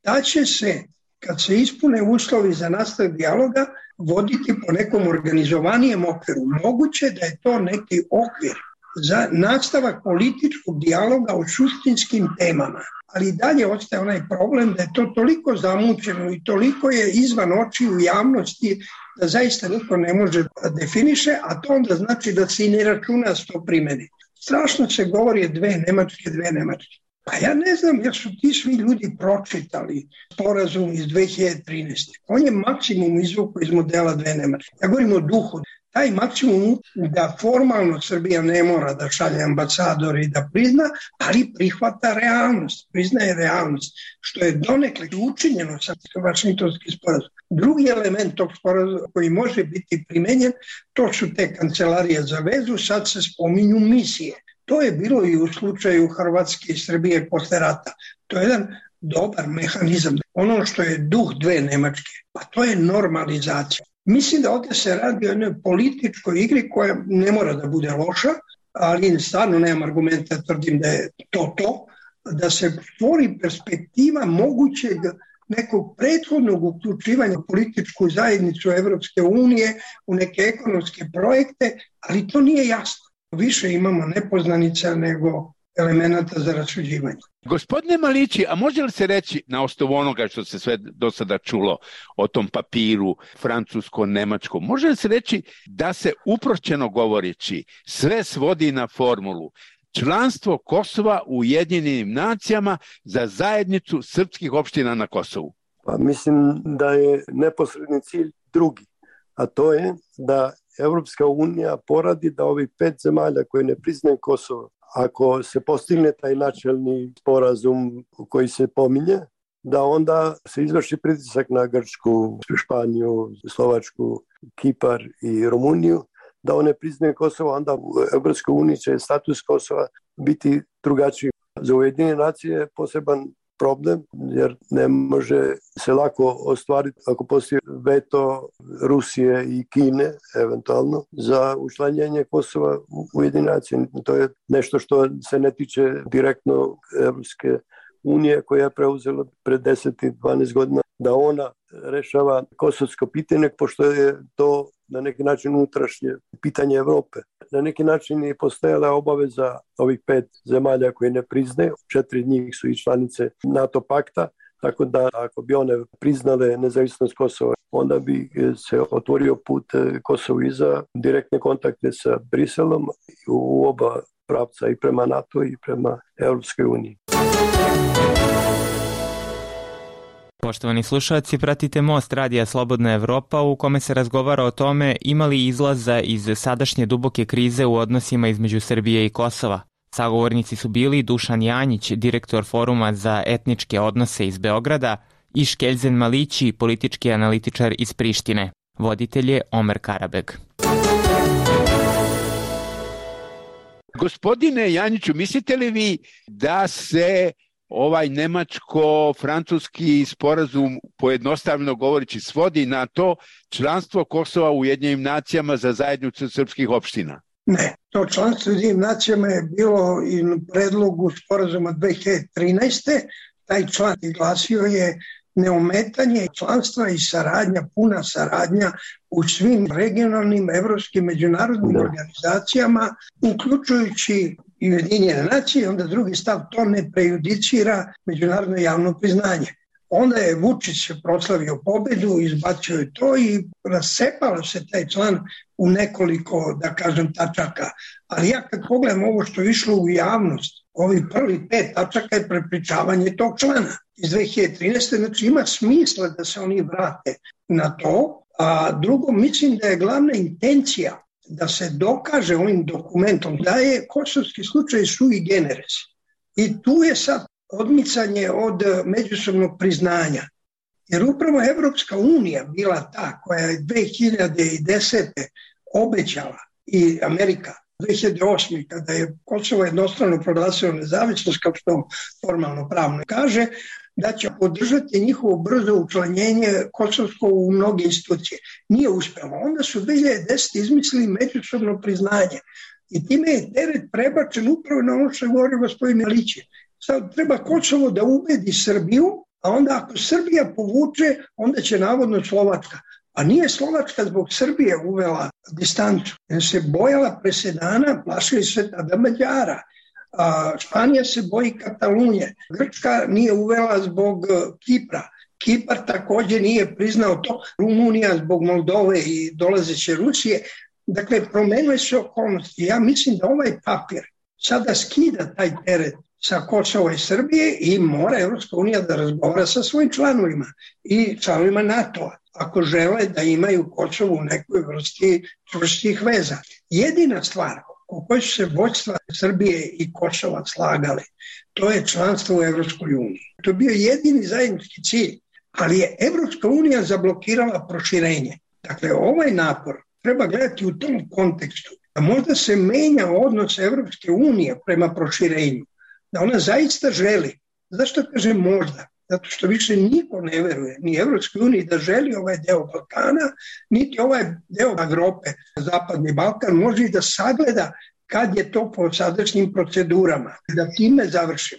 da će se, kad se ispune uslovi za nastavak dijaloga, voditi po nekom organizovanijem okviru. Moguće da je to neki okvir za nastavak političkog dijaloga o suštinskim temama. Ali dalje ostaje onaj problem da je to toliko zamućeno i toliko je izvan očiju javnosti da zaista niko ne može da definiše, a to onda znači da se i ne računa s to primeni. Strašno se govori 2 Nemačke. Pa ja ne znam jer su ti svi ljudi pročitali sporazum iz 2013. On je maksimum izvuku iz modela 2 Nemačke. Ja govorim o duhu. Taj maksimum da formalno Srbija ne mora da šalje ambasador i da prizna, ali prihvata realnost, priznaje realnost, što je donekle učinjeno sa Vašingtonskim sporazumom. Drugi element tog sporazuma koji može biti primenjen, to su te kancelarije za vezu, sad se spominju misije. To je bilo i u slučaju Hrvatske i Srbije posle rata. To je jedan dobar mehanizam. Ono što je duh 2 Nemačke, pa to je normalizacija. Mislim da ovdje se radi o jednoj političkoj igri koja ne mora da bude loša, ali stvarno nemam argumenta, tvrdim da je to, da se stvori perspektiva mogućeg nekog prethodnog uključivanja u političku zajednicu Evropske unije u neke ekonomske projekte, ali to nije jasno. Više imamo nepoznanica nego elemenata za rasuđivanje. Gospodine Malići, a može li se reći na osnovu onoga što se sve do sada čulo o tom papiru francusko-nemačkom, može li se reći da se uprošćeno govoreći sve svodi na formulu članstvo Kosova u Ujedinjenim nacijama za zajednicu srpskih opština na Kosovu? Pa mislim da je neposredni cilj drugi, a to je da Evropska unija poradi da ovih 5 zemalja koje ne priznaju Kosovo, ako se postigne taj načelni sporazum koji se pominje, da onda se izvrši pritisak na Grčku, Španiju, Slovačku, Kipar i Rumuniju, da one priznaju Kosovo, onda u Evropskoj uniji će status Kosova biti drugačiji. Za Ujedinjene nacije je poseban problem, jer ne može se lako ostvariti ako postoji veto Rusije i Kine, eventualno, za učlanjenje Kosova u Ujedinjene nacije. To je nešto što se ne tiče direktno Evropske unije, koja je preuzela pred 10 i 12 godina da ona rešava kosovsko pitanje, pošto je to na neki način unutrašnje pitanje Evrope. Na neki način je postojala obaveza ovih 5 zemalja koje ne priznaju, 4 njih su i članice NATO pakta, tako da ako bi one priznale nezavisnost Kosova, onda bi se otvorio put Kosovu i za direktne kontakte sa Briselom u oba pravca, i prema NATO i prema Evropskoj uniji. Poštovani slušalci, pratite Most Radija Slobodna Evropa u kome se razgovara o tome ima li izlaza iz sadašnje duboke krize u odnosima između Srbije i Kosova. Sagovornici su bili Dušan Janjić, direktor Foruma za etničke odnose iz Beograda, i Škeljzen Malići, politički analitičar iz Prištine. Voditelj je Omer Karabeg. Gospodine Janjiću, mislite li vi da se ovaj nemačko-francuski sporazum, pojednostavno govoreći, svodi na to članstvo Kosova u Ujedinjenim nacijama za zajednicu srpskih opština? Ne, to članstvo u Ujedinjenim nacijama je bilo i u predlogu sporazuma 2013. Taj član glasio je neometanje članstva i saradnja, puna saradnja u svim regionalnim, evropskim, međunarodnim organizacijama, uključujući i Ujedinjene nacije. Onda drugi stav, to ne prejudicira međunarodno javno priznanje. Onda je Vučić proslavio pobedu, izbacio je to i rasepalo se taj član u nekoliko, da kažem, tačaka. Ali ja kad pogledam ovo što je išlo u javnost, ovih prvih 5 tačaka je prepričavanje tog člana iz 2013. Znači ima smisla da se oni vrate na to. A drugo, mislim da je glavna intencija da se dokaže ovim dokumentom da je kosovski slučaj sui generis. I tu je sad odmicanje od međusobnog priznanja. Jer upravo Evropska unija bila ta koja je 2010. obećala, i Amerika 2008. kada je Kosovo jednostrano proglasilo nezavisnost, kao što formalno pravno kaže, da će podržati njihovo brzo učlanjenje kosovsko u mnoge institucije. Nije uspjelo. Onda su 2010. izmislili međusobno priznanje. I time je teret prebačen upravo na ono što je govorio gospodin Milić. Sad treba Kosovo da ubedi Srbiju, a onda ako Srbija povuče, onda će navodno Slovačka. A nije Slovačka zbog Srbije uvela distancu. Jer se bojala presedana, plašili se tada Mađara. Španija se boji Katalunije. Grčka nije uvela zbog Kipra. Kipar također nije priznao to. Rumunija zbog Moldove i dolazeće Rusije. Dakle, promenuje se okolnosti. Ja mislim da ovaj papir sada skida taj teret sa Kosova i Srbije i mora Evropska unija da razgovara sa svojim članovima i članovima NATO-a, ako žele da imaju Kosovo u nekoj vrsti čvrstih veza. Jedina stvar o kojoj su se vođstva Srbije i Kosova slagali, to je članstvo u Evropskoj uniji. To je bio jedini zajednički cilj, ali je Evropska unija zablokirala proširenje. Dakle, ovaj napor treba gledati u tom kontekstu, da možda se menja odnos Evropske unije prema proširenju, da ona zaista želi. Zašto kažem možda? zato što više niko ne veruje, ni Evropskoj uniji da želi ovaj deo Balkana, niti ovaj deo Evrope, Zapadni Balkan, može i da sagleda kad je to po sadašnjim procedurama. Da time završim.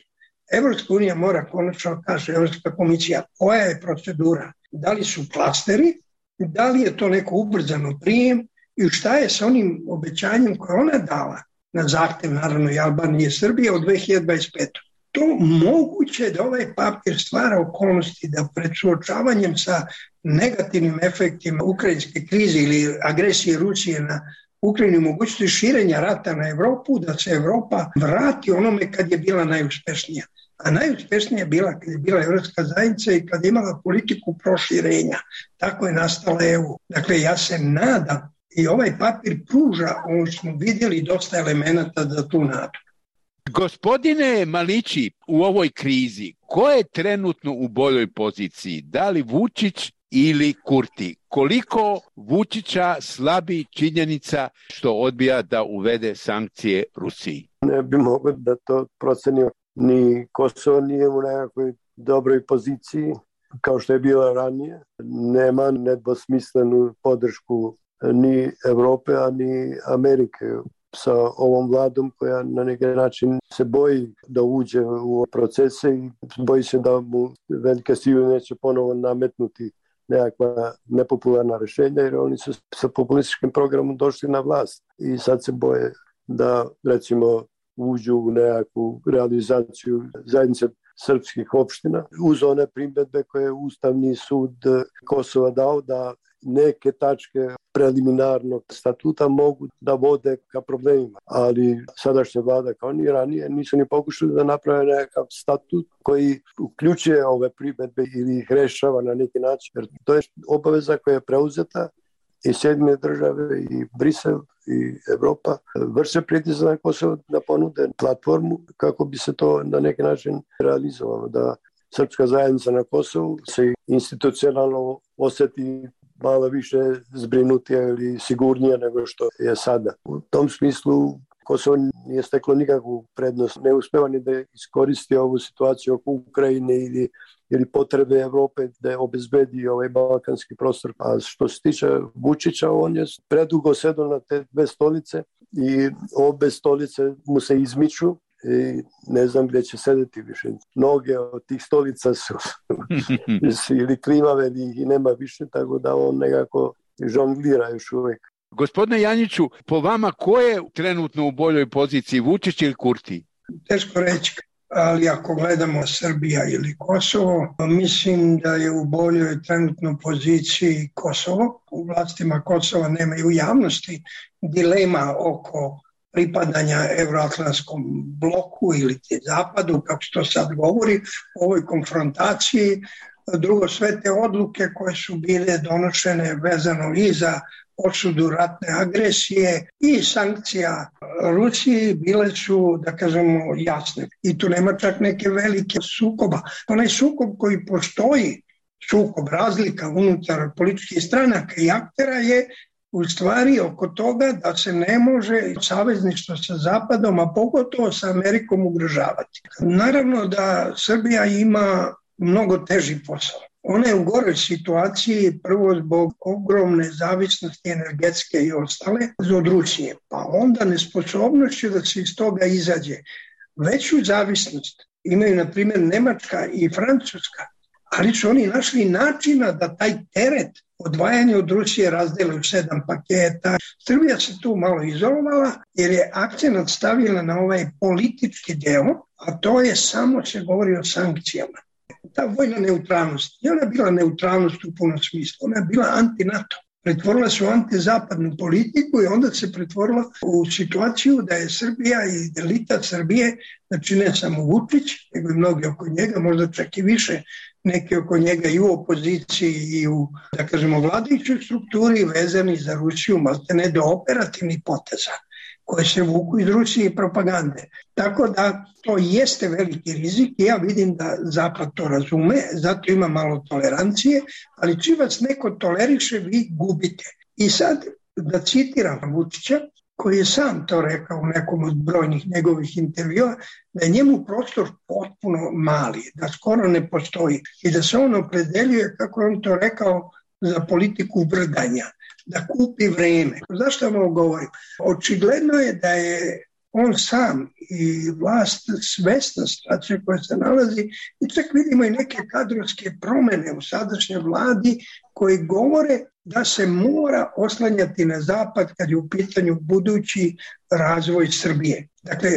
Evropska unija mora konačno, kaže Evropska komisija, koja je procedura, da li su klasteri, da li je to neko ubrzano prijem i šta je sa onim obećanjem koje ona dala na zahtev, naravno, i Albanije i Srbije od 2025. To moguće da ovaj papir stvara okolnosti da pred suočavanjem sa negativnim efektima ukrajinske krize ili agresije Rusije na Ukrajinu, mogućnosti širenja rata na Evropu, da se Evropa vrati onome kad je bila najuspešnija. A najuspešnija je bila kad je bila Evropska zajednica i kad je imala politiku proširenja. Tako je nastala EU. Dakle, ja se nadam i ovaj papir pruža, ono smo vidjeli, dosta elemenata za tu nadu. Gospodine Malići, u ovoj krizi, ko je trenutno u boljoj poziciji? Da li Vučić ili Kurti? Koliko Vučića slabi činjenica što odbija da uvede sankcije Rusiji? Ne bi mogao da to procenio. Ni Kosovo nije u nekakvoj dobroj poziciji kao što je bila ranije. Nema nedvosmislenu podršku ni Evrope, a ni Amerike sa ovom vladom koja na neki način se boji da uđe u procese i boji se da mu velike sile neće ponovo nametnuti nekakva nepopularna rešenja, jer oni su sa populističkim programom došli na vlast i sad se boje da, recimo, uđu u nekakvu realizaciju zajednice srpskih opština uz one primjedbe koje je Ustavni sud Kosova dao da neke tačke preliminarnog statuta mogu da vode ka problemima. Ali sadašnja vlada kao ni ranije nisu ni pokušali da naprave nekakav statut koji uključuje ove primjedbe ili ih rešava na neki način. Jer to je obaveza koja je preuzeta i Sjedinjene države i Brisel i Evropa vrše pritisak na Kosovo da ponude platformu kako bi se to na neki način realizovalo, da srpska zajednica na Kosovu se institucionalno oseti malo više zbrinutija ili sigurnija nego što je sada. U tom smislu Kosovo nije steklo nikakvu prednost, ne uspeva ni da iskoristi ovu situaciju oko Ukrajine ili potrebe Evrope da obezbedi ovaj balkanski prostor. A što se tiče Vučića, on je predugo sedao na te dve stolice i obe stolice mu se izmiču i ne znam gdje će sedeti više. Noge od tih stolica su ili klimave ili nema više, tako da on nekako žonglira još uvijek. Gospodine Janjiću, po vama ko je trenutno u boljoj poziciji, Vučić ili Kurti? Teško reći, ali ako gledamo Srbija ili Kosovo, mislim da je u boljoj trenutno poziciji Kosovo. U vlastima Kosova nema i u javnosti dilema oko pripadanja Evroatlantskom bloku ili zapadu, kako se to sad govori, u ovoj konfrontaciji. Drugo, sve te odluke koje su bile donošene vezano i za osudu ratne agresije i sankcija Rusiji bile su, da kažemo, jasne. I tu nema čak neke velike sukoba. Onaj sukob koji postoji, sukob razlika unutar političkih stranaka i aktera je u stvari oko toga da se ne može savezništvo sa Zapadom, a pogotovo sa Amerikom ugrožavati. Naravno da Srbija ima mnogo teži posao. Ona je u goroj situaciji prvo zbog ogromne zavisnosti energetske i ostale od Rusije, pa onda nesposobnošću da se iz toga izađe. Veću zavisnost imaju, na primjer, Nemačka i Francuska, ali su oni našli načina da taj teret odvajanja od Rusije razdele u 7 paketa. Srbija se tu malo izolovala jer je akcent stavila na ovaj politički deo, a to je samo se govori o sankcijama. Ta vojna neutralnost, i ona je bila neutralnost u punom smislu, ona je bila anti-NATO. Pretvorila se u antizapadnu politiku i onda se pretvorila u situaciju da je Srbija i elita Srbije, znači ne samo Vučić, nego i mnogi oko njega, možda čak i više, neki oko njega i u opoziciji i u, da kažemo, vladajućoj strukturi vezani za Rusiju, maltene do operativnih poteza koje se vuku iz Rusije i propagande. Tako da to jeste veliki rizik i ja vidim da Zapad to razume, zato ima malo tolerancije, ali čim vas neko toleriše, vi gubite. I sad, da citiram Vučića, koji je sam to rekao u nekom od brojnih njegovih intervjua, da je njemu prostor potpuno mali, da skoro ne postoji i da se on opredeljuje, kako je on to rekao, za politiku vrdanja, da kupi vreme. Zašto vam ovo govorim? Očigledno je da je on sam i vlast svesna situacije koja se nalazi i čak vidimo i neke kadrovske promene u sadašnjoj vladi koji govore da se mora oslanjati na zapad kad je u pitanju budući razvoj Srbije. Dakle,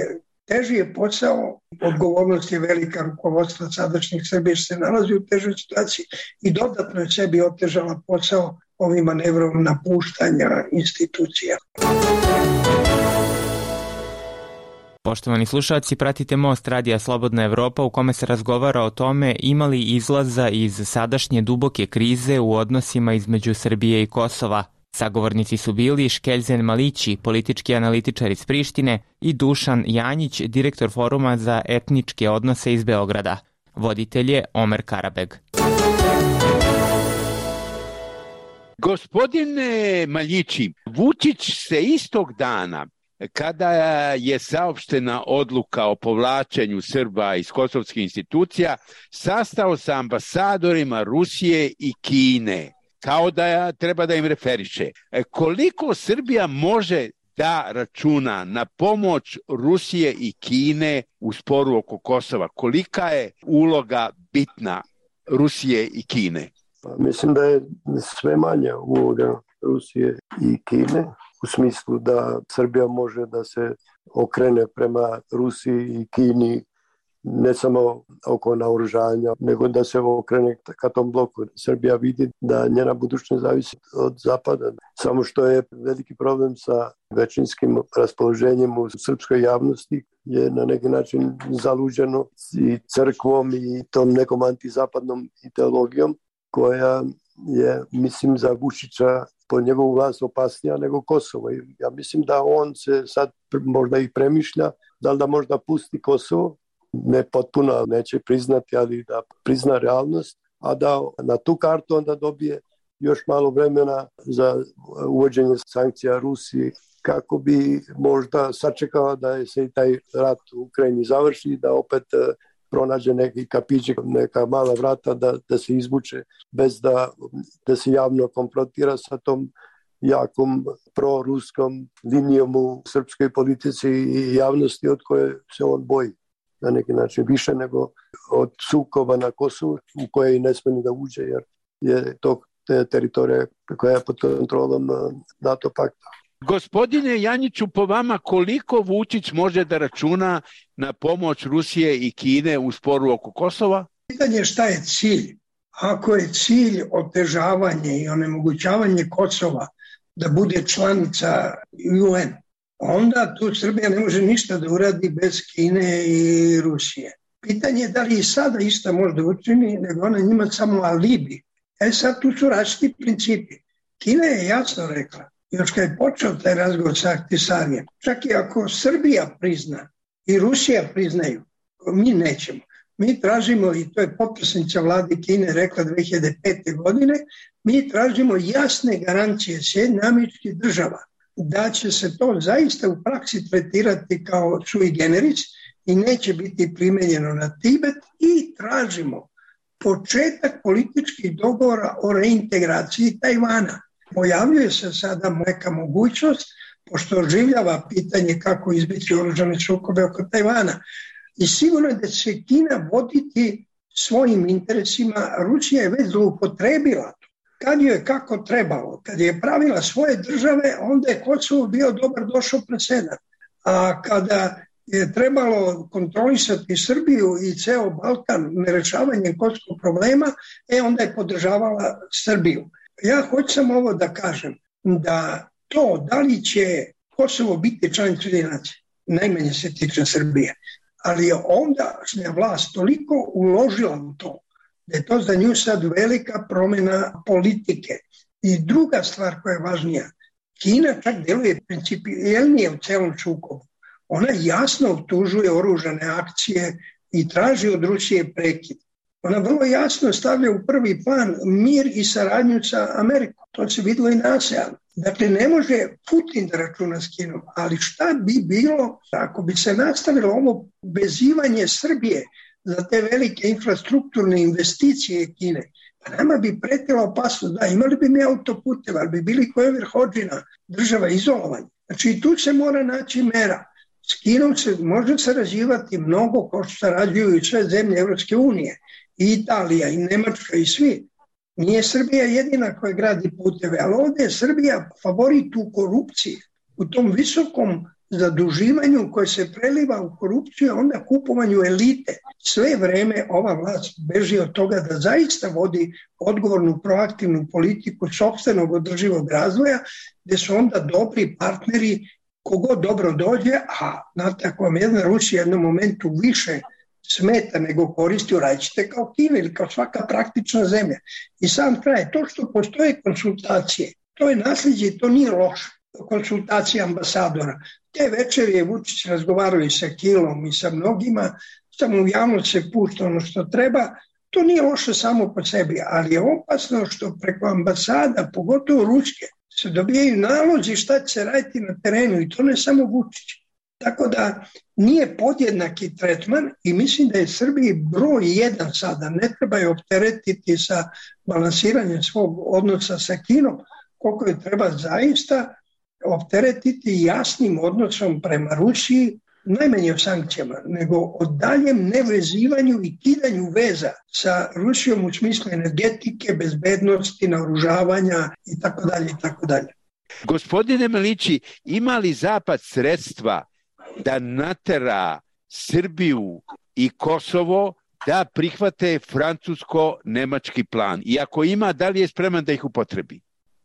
teži je posao, odgovornost je velika rukovodstva sadašnjih Srbije što se nalazi u težoj situaciji i dodatno je sebi otežala posao ovim manevrom napuštanja institucija. Poštovani slušalci, pratite Most Radija Slobodna Evropa u kome se razgovara o tome ima li izlaza iz sadašnje duboke krize u odnosima između Srbije i Kosova. Sagovornici su bili Škeljzen Malići, politički analitičar iz Prištine, i Dušan Janjić, direktor Foruma za etničke odnose iz Beograda. Voditelj je Omer Karabeg. Gospodine Maljići, Vučić se istog dana, kada je saopštena odluka o povlačenju Srba iz kosovskih institucija, sastao sa ambasadorima Rusije i Kine, kao da treba da im referiše. Koliko Srbija može da računa na pomoć Rusije i Kine u sporu oko Kosova? Kolika je uloga bitna Rusije i Kine? Mislim da je sve manja uloga Rusije i Kine, u smislu da Srbija može da se okrene prema Rusiji i Kini ne samo oko naoružanja, nego da se okrene ka tom bloku. Srbija vidi da njena budućnost zavisi od Zapada. Samo što je veliki problem sa većinskim raspoloženjem u srpskoj javnosti je na neki način zaluđeno i crkvom i tom nekom antizapadnom ideologijom koja je, mislim, za Vučića po njegovu vlast opasnija nego Kosovo. Ja mislim da on se sad možda i premišlja da li da možda pusti Kosovo, ne potpuno, neće priznati, ali da prizna realnost, a da na tu kartu onda dobije još malo vremena za uvođenje sankcija Rusiji, kako bi možda sačekao da se i taj rat u Ukrajini završi, da opet pronađe neki kapićik, neka mala vrata da se izvuče bez da se javno konfrontira sa tom jakom proruskom linijom u srpskoj politici i javnosti od koje se on boji na neki način više nego od sukoba na Kosovu u koje i ne smije ni da uđe jer je to teritorija koja je pod kontrolom NATO pakta. Gospodine Janjiću, po vama koliko Vučić može da računa na pomoć Rusije i Kine u sporu oko Kosova? Pitanje je šta je cilj. Ako je cilj otežavanje i onemogućavanje Kosova da bude članica UN, onda tu Srbija ne može ništa da uradi bez Kine i Rusije. Pitanje je da li i sada išta možda učini, nego ona njima samo alibi. Sad tu su različiti principi. Kina je jasno rekla, još kad je počeo taj razgovor sa Ahtisarijem, čak i ako Srbija prizna i Rusija priznaju, mi nećemo. Mi tražimo, i to je potpredsjednica vlade Kine rekla 2005. godine, mi tražimo jasne garancije Sjedinjenih Američkih Država da će se to zaista u praksi tretirati kao sui generis i neće biti primenjeno na Tibet i tražimo početak političkih dogovora o reintegraciji Tajvana. Pojavljuje se sada neka mogućnost, pošto oživljava pitanje kako izbiti oružane sukobe oko Tajvana. I sigurno je da će Kina voditi svojim interesima. Rusija je već zloupotrebila to. Kad joj je kako trebalo, kad je pravila svoje države, onda je Kosovo bio dobar došao presedan. A kada je trebalo kontrolisati Srbiju i ceo Balkan nerešavanjem kosovskog problema, onda je podržavala Srbiju. Ja hoću samo ovo da kažem, da to da li će Kosovo biti članica Ujedinjenih nacija, najmanje se tiče Srbije, ali je ondašnja vlast toliko uložila u to, da je to za nju sad velika promjena politike. I druga stvar koja je važnija, Kina čak deluje principijelnije u celom sukobu. Ona jasno optužuje oružane akcije i traži od Rusije prekid. Ona vrlo jasno stavlja u prvi plan mir i saradnju sa Amerikom. To se videlo i na ASEAN. Dakle, ne može Putin da računa s Kinom, ali šta bi bilo ako bi se nastavilo ovo vezivanje Srbije za te velike infrastrukturne investicije Kine? Pa nama bi pretila opasnost, da, imali bi mi autoputeva, ali bi bili koje Verhođina, država izolovanja. Znači, i tu se mora naći mera. S Kinom se može sarađivati mnogo, kao što sarađuju i sve zemlje Evropske unije, i Italija, i Nemačka, i svi. Nije Srbija jedina koja gradi puteve, ali ovdje je Srbija favorit u korupciji, u tom visokom zaduživanju koje se preliva u korupciju, a onda kupovanju elite. Sve vreme ova vlast beži od toga da zaista vodi odgovornu, proaktivnu politiku sopstvenog održivog razvoja, gdje su onda dobri partneri kogod dobro dođe, a znate, ako vam jedna Rusija u jednom momentu više smeta nego koristi, uradite kao Kina ili kao svaka praktična zemlja. I sam kraj, to što postoje konsultacije, to je nasljeđe i to nije loše. Konsultacije ambasadora. Te večeri je Vučić razgovarao i sa Kilom i sa mnogima, samo u javnost se pušta ono što treba. To nije loše samo po sebi, ali je opasno što preko ambasada, pogotovo ruske, se dobijaju nalozi šta će se raditi na terenu i to ne samo Vučić. Tako da nije podjednaki tretman i mislim da je Srbiji broj 1 sada. Ne treba je opteretiti sa balansiranjem svog odnosa sa Kinom, koliko je treba zaista opteretiti jasnim odnosom prema Rusiji, najmanje o sankcijama, nego o daljem nevezivanju i kidanju veza sa Rusijom u smislu energetike, bezbednosti, naoružavanja itd. itd. Gospodine Malići, ima li Zapad sredstva da natera Srbiju i Kosovo da prihvate francusko-nemački plan? I ako ima, da li je spreman da ih upotrebi?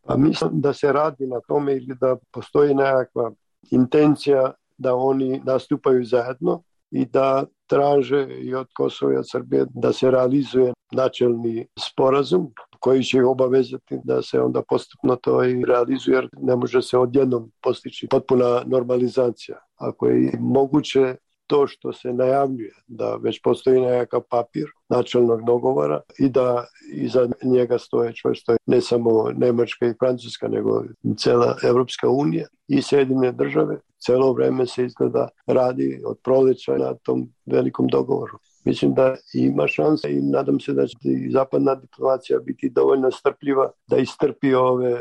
Pa mislim da se radi na tome ili da postoji nekakva intencija da oni nastupaju zajedno i da traže i od Kosova i od Srbije da se realizuje načelni sporazum koji će ih obavezati da se onda postupno to i realizuje, jer ne može se odjednom postići potpuna normalizacija. Ako je moguće to što se najavljuje, da već postoji nekakav papir načelnog dogovora i da iza njega stoje čvrsto ne samo Nemačka i Francuska, nego cela Evropska unija i Sjedinjene države. Celo vreme se izgleda radi od proleća na tom velikom dogovoru. Mislim da ima šanse i nadam se da će i zapadna diplomacija biti dovoljno strpljiva da istrpi ove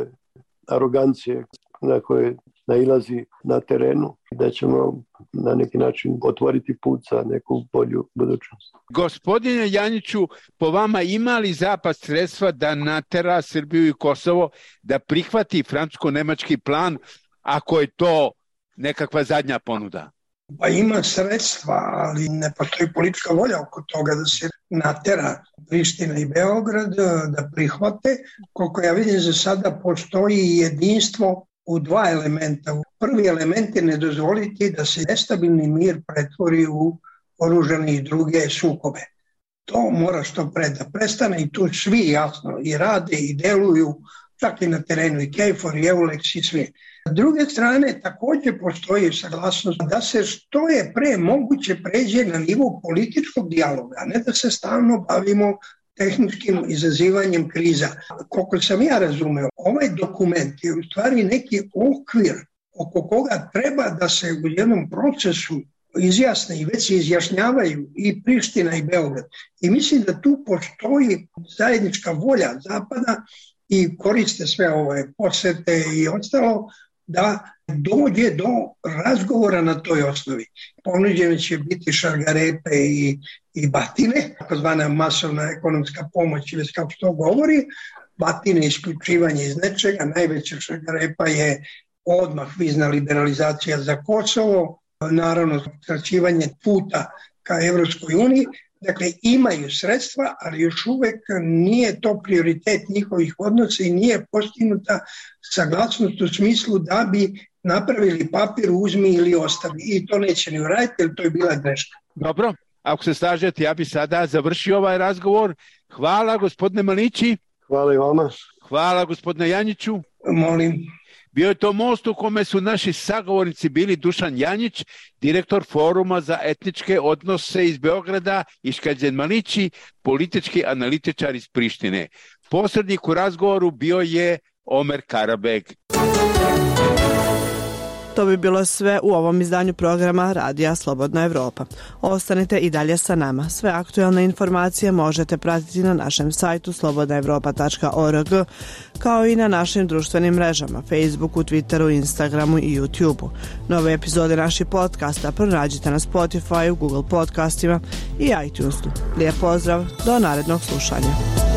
arogancije na koje nailazi na terenu i da ćemo na neki način otvoriti put za neku bolju budućnost. Gospodine Janjiću, po vama ima li Zapad sredstva da natera Srbiju i Kosovo da prihvati francusko-nemački plan ako je to nekakva zadnja ponuda? Pa ima sredstva, ali ne postoji politička volja oko toga da se natera Priština i Beograd da prihvate. Koliko ja vidim, za sada postoji jedinstvo u dva elementa. Prvi element je ne dozvoliti da se nestabilni mir pretvori u oružane i druge sukobe. To mora što pre da prestane i tu svi jasno i rade i deluju, čak i na terenu i KFOR i EULEX i svi. S druge strane, također postoji saglasnost da se što je pre moguće pređe na nivo političkog dijaloga, a ne da se stalno bavimo tehničkim izazivanjem kriza. Koliko sam ja razumeo, ovaj dokument je u stvari neki okvir oko koga treba da se u jednom procesu izjasne i već se izjašnjavaju i Priština i Beograd. I mislim da tu postoji zajednička volja Zapada i koriste sve ove posete i ostalo da dođe do razgovora na toj osnovi. Ponuđene će biti šargarepe i batine, takozvana masovna ekonomska pomoć ili kako to govori, batine isključivanje iz nečega, najveća šargarepa je odmah vizna liberalizacija za Kosovo, naravno skraćivanje puta ka Evropskoj uniji. Dakle, imaju sredstva, ali još uvek nije to prioritet njihovih odnosa i nije postignuta saglasnost u smislu da bi napravili papir, uzmi ili ostavi. I to neće ni uraditi, jer to je bila greška. Dobro, ako se slažete, ja bi sada završio ovaj razgovor. Hvala, gospodine Malići. Hvala i vama. Hvala, gospodine Janjiću. Molim. Bio je to most u kome su naši sagovornici bili Dušan Janjić, direktor Foruma za etničke odnose iz Beograda, i Škeđen Malići, politički analitičar iz Prištine. Posrednik u razgovoru bio je Omer Karabeg. To bi bilo sve u ovom izdanju programa Radija Slobodna Evropa. Ostanite i dalje sa nama. Sve aktuelne informacije možete pratiti na našem sajtu slobodnaevropa.org, kao i na našim društvenim mrežama, Facebooku, Twitteru, Instagramu i YouTubeu. Nove epizode naših podcasta pronađite na Spotify, Google podcastima i iTunesu. Lijep pozdrav, do narednog slušanja.